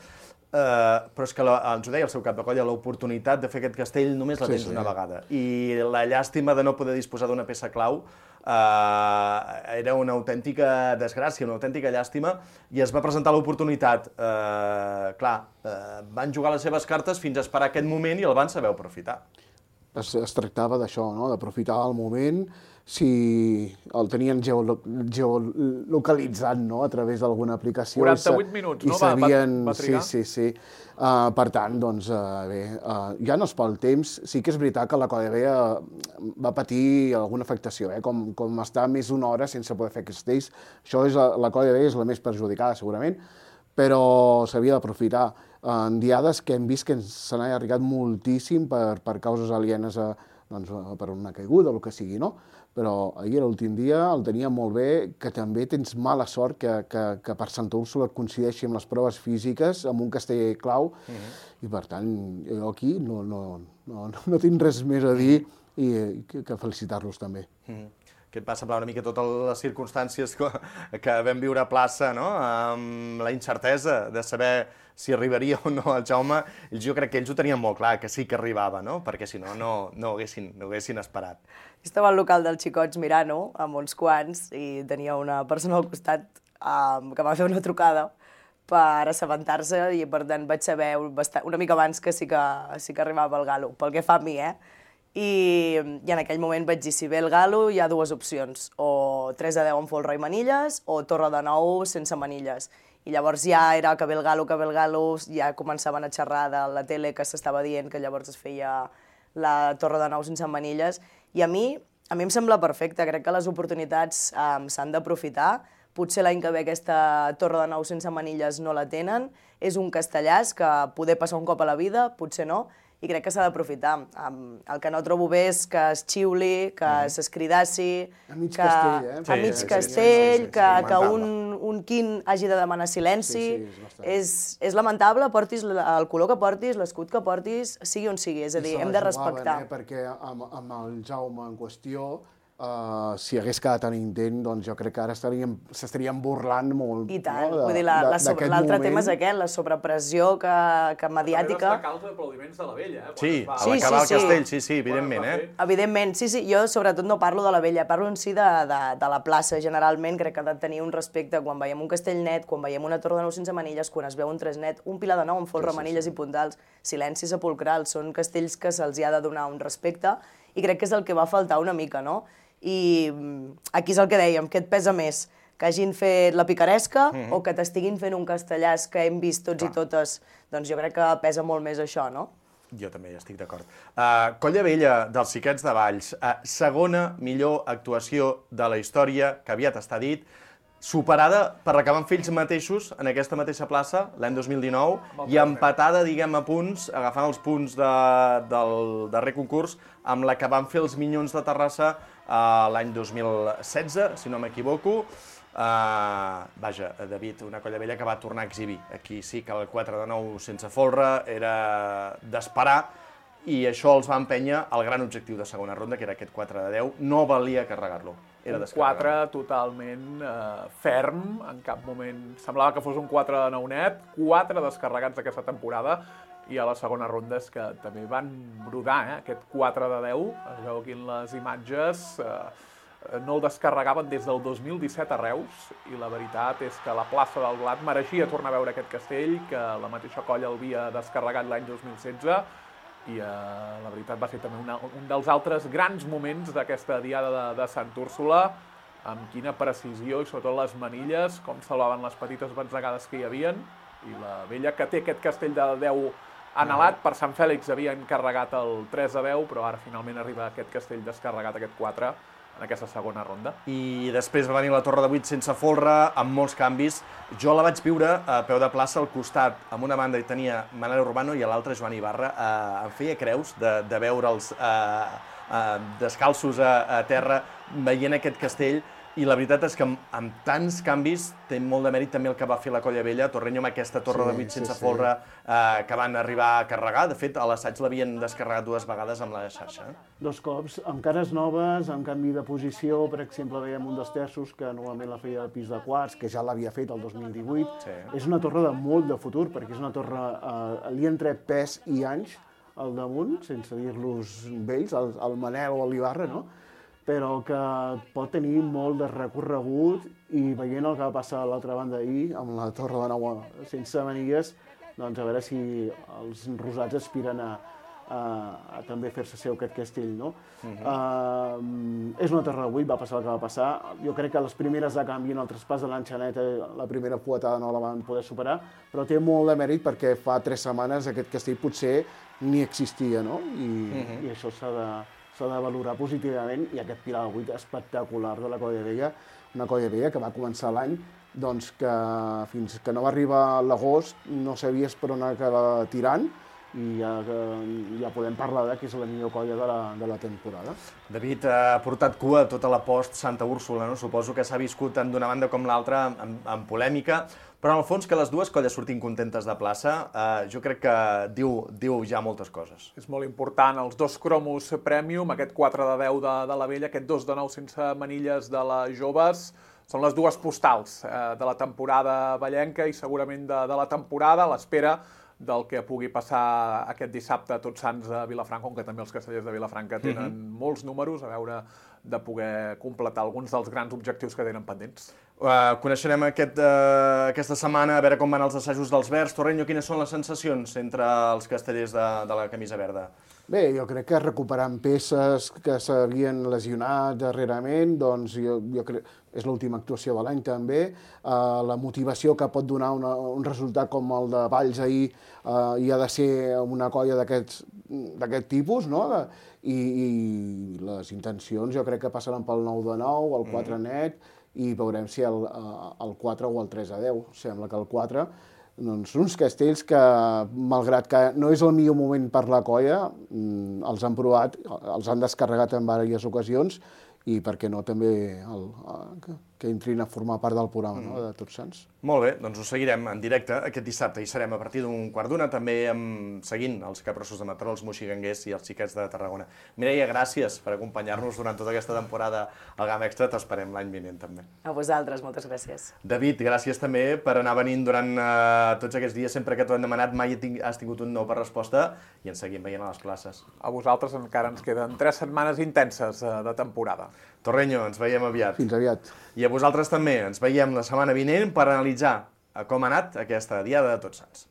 Speaker 12: però és que ens ho deia el seu cap de colla, l'oportunitat de fer aquest castell només la tens una vegada. I la llàstima de no poder disposar d'una peça clau era una autèntica desgràcia, una autèntica llàstima, i es va presentar l'oportunitat. Clar, van jugar les seves cartes fins a esperar aquest moment i el van saber aprofitar.
Speaker 15: Es tractava d'això, d'aprofitar el moment, si el tenien geolocalitzat a través d'alguna aplicació.
Speaker 14: 48 minuts, no? Va trigar?
Speaker 15: Sí. Per tant, doncs, bé, ja no és pel temps. Sí que és veritat que la KDB va patir alguna afectació, com estar més d'una hora sense poder fer castells. Això la KDB és la més perjudicada, segurament, però s'havia d'aprofitar. En diades que hem vist que se n'ha allargat moltíssim per causes alienes per una caiguda o el que sigui, no? Però ahir, l'últim dia, el tenia molt bé, que també tens mala sort que per Santa Úrsula coincideixi amb les proves físiques, amb un castell clau, i per tant, jo aquí no tinc res més a dir i que felicitar-los també.
Speaker 12: Què et va semblar una mica totes les circumstàncies que vam viure a plaça, amb la incertesa de saber si arribaria o no el Jaume? Jo crec que ells ho tenien molt clar, que sí que arribava, perquè si no, no ho haguessin esperat.
Speaker 13: Estava al local dels xicots mirant-ho, amb uns quants, i tenia una persona al costat que va fer una trucada per assabentar-se, i per tant vaig saber una mica abans que sí que arribava el Galo, pel que fa a mi, I en aquell moment vaig dir, si ve el Galo hi ha 2 opcions, o 3 a 10 amb folre i manilles, o Torre de 9 sense manilles. I llavors ja era que ve el Galo, ja començaven a xerrar de la tele que s'estava dient que llavors es feia la Torre de 9 sense manilles. I a mi em sembla perfecte, crec que les oportunitats s'han d'aprofitar. Potser l'any que ve aquesta Torre de 9 sense manilles no la tenen, és un castellàs que poder passar un cop a la vida, potser no, i crec que s'ha d'aprofitar. El que no trobo bé és que es xiuli, que s'escridassi...
Speaker 15: A mig castell, eh?
Speaker 13: A mig castell, que un quin hagi de demanar silenci. És lamentable, portis el color que portis, l'escut que portis, sigui on sigui. És a dir, hem de respectar.
Speaker 15: Perquè amb el Jaume en qüestió, si hagués quedat tan intent, doncs jo crec que ara s'estarien burlant molt.
Speaker 13: I tant, vull dir, l'altre tema és aquest, la sobrepressió mediàtica.
Speaker 14: També causa aplaudiments de la vella, eh?
Speaker 12: Sí, a l'acabar el castell, sí, evidentment, eh?
Speaker 13: Evidentment, sí, jo sobretot no parlo de la vella, parlo en si de la plaça, generalment, crec que ha de tenir un respecte quan veiem un castell net, quan veiem una torre de nou sense manilles, quan es veu un tres net, un pilar de nou amb folre, manilles i puntals, silenci sepulcral, són castells que se'ls ha de donar un respecte i crec que és el que va faltar una mica, no? I aquí és el que dèiem, què et pesa més? Que hagin fet la picaresca o que t'estiguin fent un castellàs que hem vist tots i totes? Doncs jo crec que pesa molt més això, no?
Speaker 12: Jo també hi estic d'acord. Colla Vella, dels Xiquets de Valls, segona millor actuació de la història, que aviat està dit, superada per la que van fer ells mateixos en aquesta mateixa plaça l'any 2019 i empatada, diguem, a punts, agafant els punts del darrer concurs, amb la que van fer els Minyons de Terrassa l'any 2016, si no m'equivoco. Vaja, David, una Colla Vella que va tornar a exhibir. Aquí sí que el 4 de 9 sense folre era d'esperar i això els va empènyer al gran objectiu de segona ronda, que era aquest 4 de 10. No valia carregar-lo.
Speaker 14: Un 4 totalment ferm, en cap moment semblava que fos un 4 de 9 net, 4 descarregats aquesta temporada, i a la segona ronda és que també van brodar, aquest 4 de 10, es veu aquí en les imatges, no el descarregaven des del 2017 a Reus, i la veritat és que la plaça del Blat mereixia tornar a veure aquest castell, que la mateixa colla el havia descarregat l'any 2016, i la veritat va ser també un dels altres grans moments d'aquesta diada de Sant Úrsula, amb quina precisió i sobretot les manilles, com salvaven les petites batzegades que hi havien, i la vella que té aquest castell de 10 anhelat, per Sant Fèlix havien carregat el 3 de 10, però ara finalment arriba aquest castell descarregat, aquest 4, en aquesta segona ronda.
Speaker 12: I després va venir la Torre de 8 sense folre, amb molts canvis. Jo la vaig viure a peu de plaça, al costat, amb una banda hi tenia Manel Urbano i a l'altra Joan Ibarra. Em feia creus de veure'ls descalços a terra, veient aquest castell, i la veritat és que amb tants canvis té molt de mèrit també el que va fer la Colla Vella, Torreño amb aquesta torre de 8 sense folre que van arribar a carregar. De fet, a l'assaig l'havien descarregat 2 vegades amb la xarxa.
Speaker 15: 2 cops, amb cares noves, amb canvi de posició. Per exemple, veiem un dels terços que normalment la feia al pis de quarts, que ja l'havia fet el 2018. És una torre de molt de futur, perquè és una torre... li han tret pes i anys al damunt, sense dir-los vells, el Manel o l'Ibarra, no? Però que pot tenir molt de recorregut, i veient el que va passar a l'altra banda ahir, amb la torre de nou sense manilles, doncs a veure si els rosats aspiren a també fer-se seu aquest castell, no? És una torre de 8, va passar el que va passar. Jo crec que les primeres de canvi en el traspàs de l'Enxaneta, la primera fuetada no la van poder superar, però té molt de mèrit perquè fa 3 setmanes aquest castell potser ni existia, no? I això s'ha de valorar positivament, i aquest pilar de 8 espectacular de la Colla Vella, una Colla Vella que va començar l'any, doncs que fins que no va arribar l'agost no sabies per on acabar tirant, i ja podem parlar que és la millor colla de la temporada.
Speaker 12: David, ha portat cua tota la post Santa Úrsula, no? Suposo que s'ha viscut tant d'una banda com l'altra amb polèmica, però en el fons que les dues colles surtin contentes de plaça, jo crec que diu ja moltes coses.
Speaker 14: És molt important, els 2 cromos Premium, aquest 4 de 10 de la Vella, aquest 2 de 9 sense manilles de les joves, són les 2 postals de la temporada vallenca i segurament de la temporada, a l'espera del que pugui passar aquest dissabte a Tots Sants a Vilafranca, on que també els castellers de Vilafranca tenen molts números, a veure de poder completar alguns dels grans objectius que tenen pendents.
Speaker 12: Coneixerem aquesta setmana a veure com van els assajos dels Verds. Torreño, quines són les sensacions entre els castellers de la camisa verda?
Speaker 15: Bé, jo crec que recuperant peces que s'havien lesionat darrerament, doncs jo crec és l'última actuació de l'any també. La motivació que pot donar un resultat com el de Valls ahir hi ha de ser una colla d'aquest tipus, no? I les intencions jo crec que passaran pel 9 de 9, el 4 net, i veurem si el 4 o el 3 a 10. Sembla que el 4 uns castells que, malgrat que no és el millor moment per la colla, els han provat, els han descarregat en diverses ocasions i, per què no, també que entrin a formar part del programa de Tots Sants.
Speaker 12: Molt bé, doncs ho seguirem en directe aquest dissabte. Hi serem a partir d'1:15, també seguint els Capgrossos de Mataró, els moxiganguers i els xiquets de Tarragona. Mireia, gràcies per acompanyar-nos durant tota aquesta temporada al Gamma Extra. T'esperem l'any vinent, també.
Speaker 13: A vosaltres, moltes gràcies.
Speaker 12: David, gràcies també per anar venint durant tots aquests dies. Sempre que t'ho hem demanat mai has tingut un no per resposta i ens seguim veient a les classes.
Speaker 14: A vosaltres encara ens queden 3 setmanes intenses de temporada.
Speaker 12: Torreño, ens veiem aviat.
Speaker 15: Fins aviat.
Speaker 12: I a vosaltres també. Ens veiem la setmana vinent per analitzar com ha anat aquesta Diada de Tots Sants.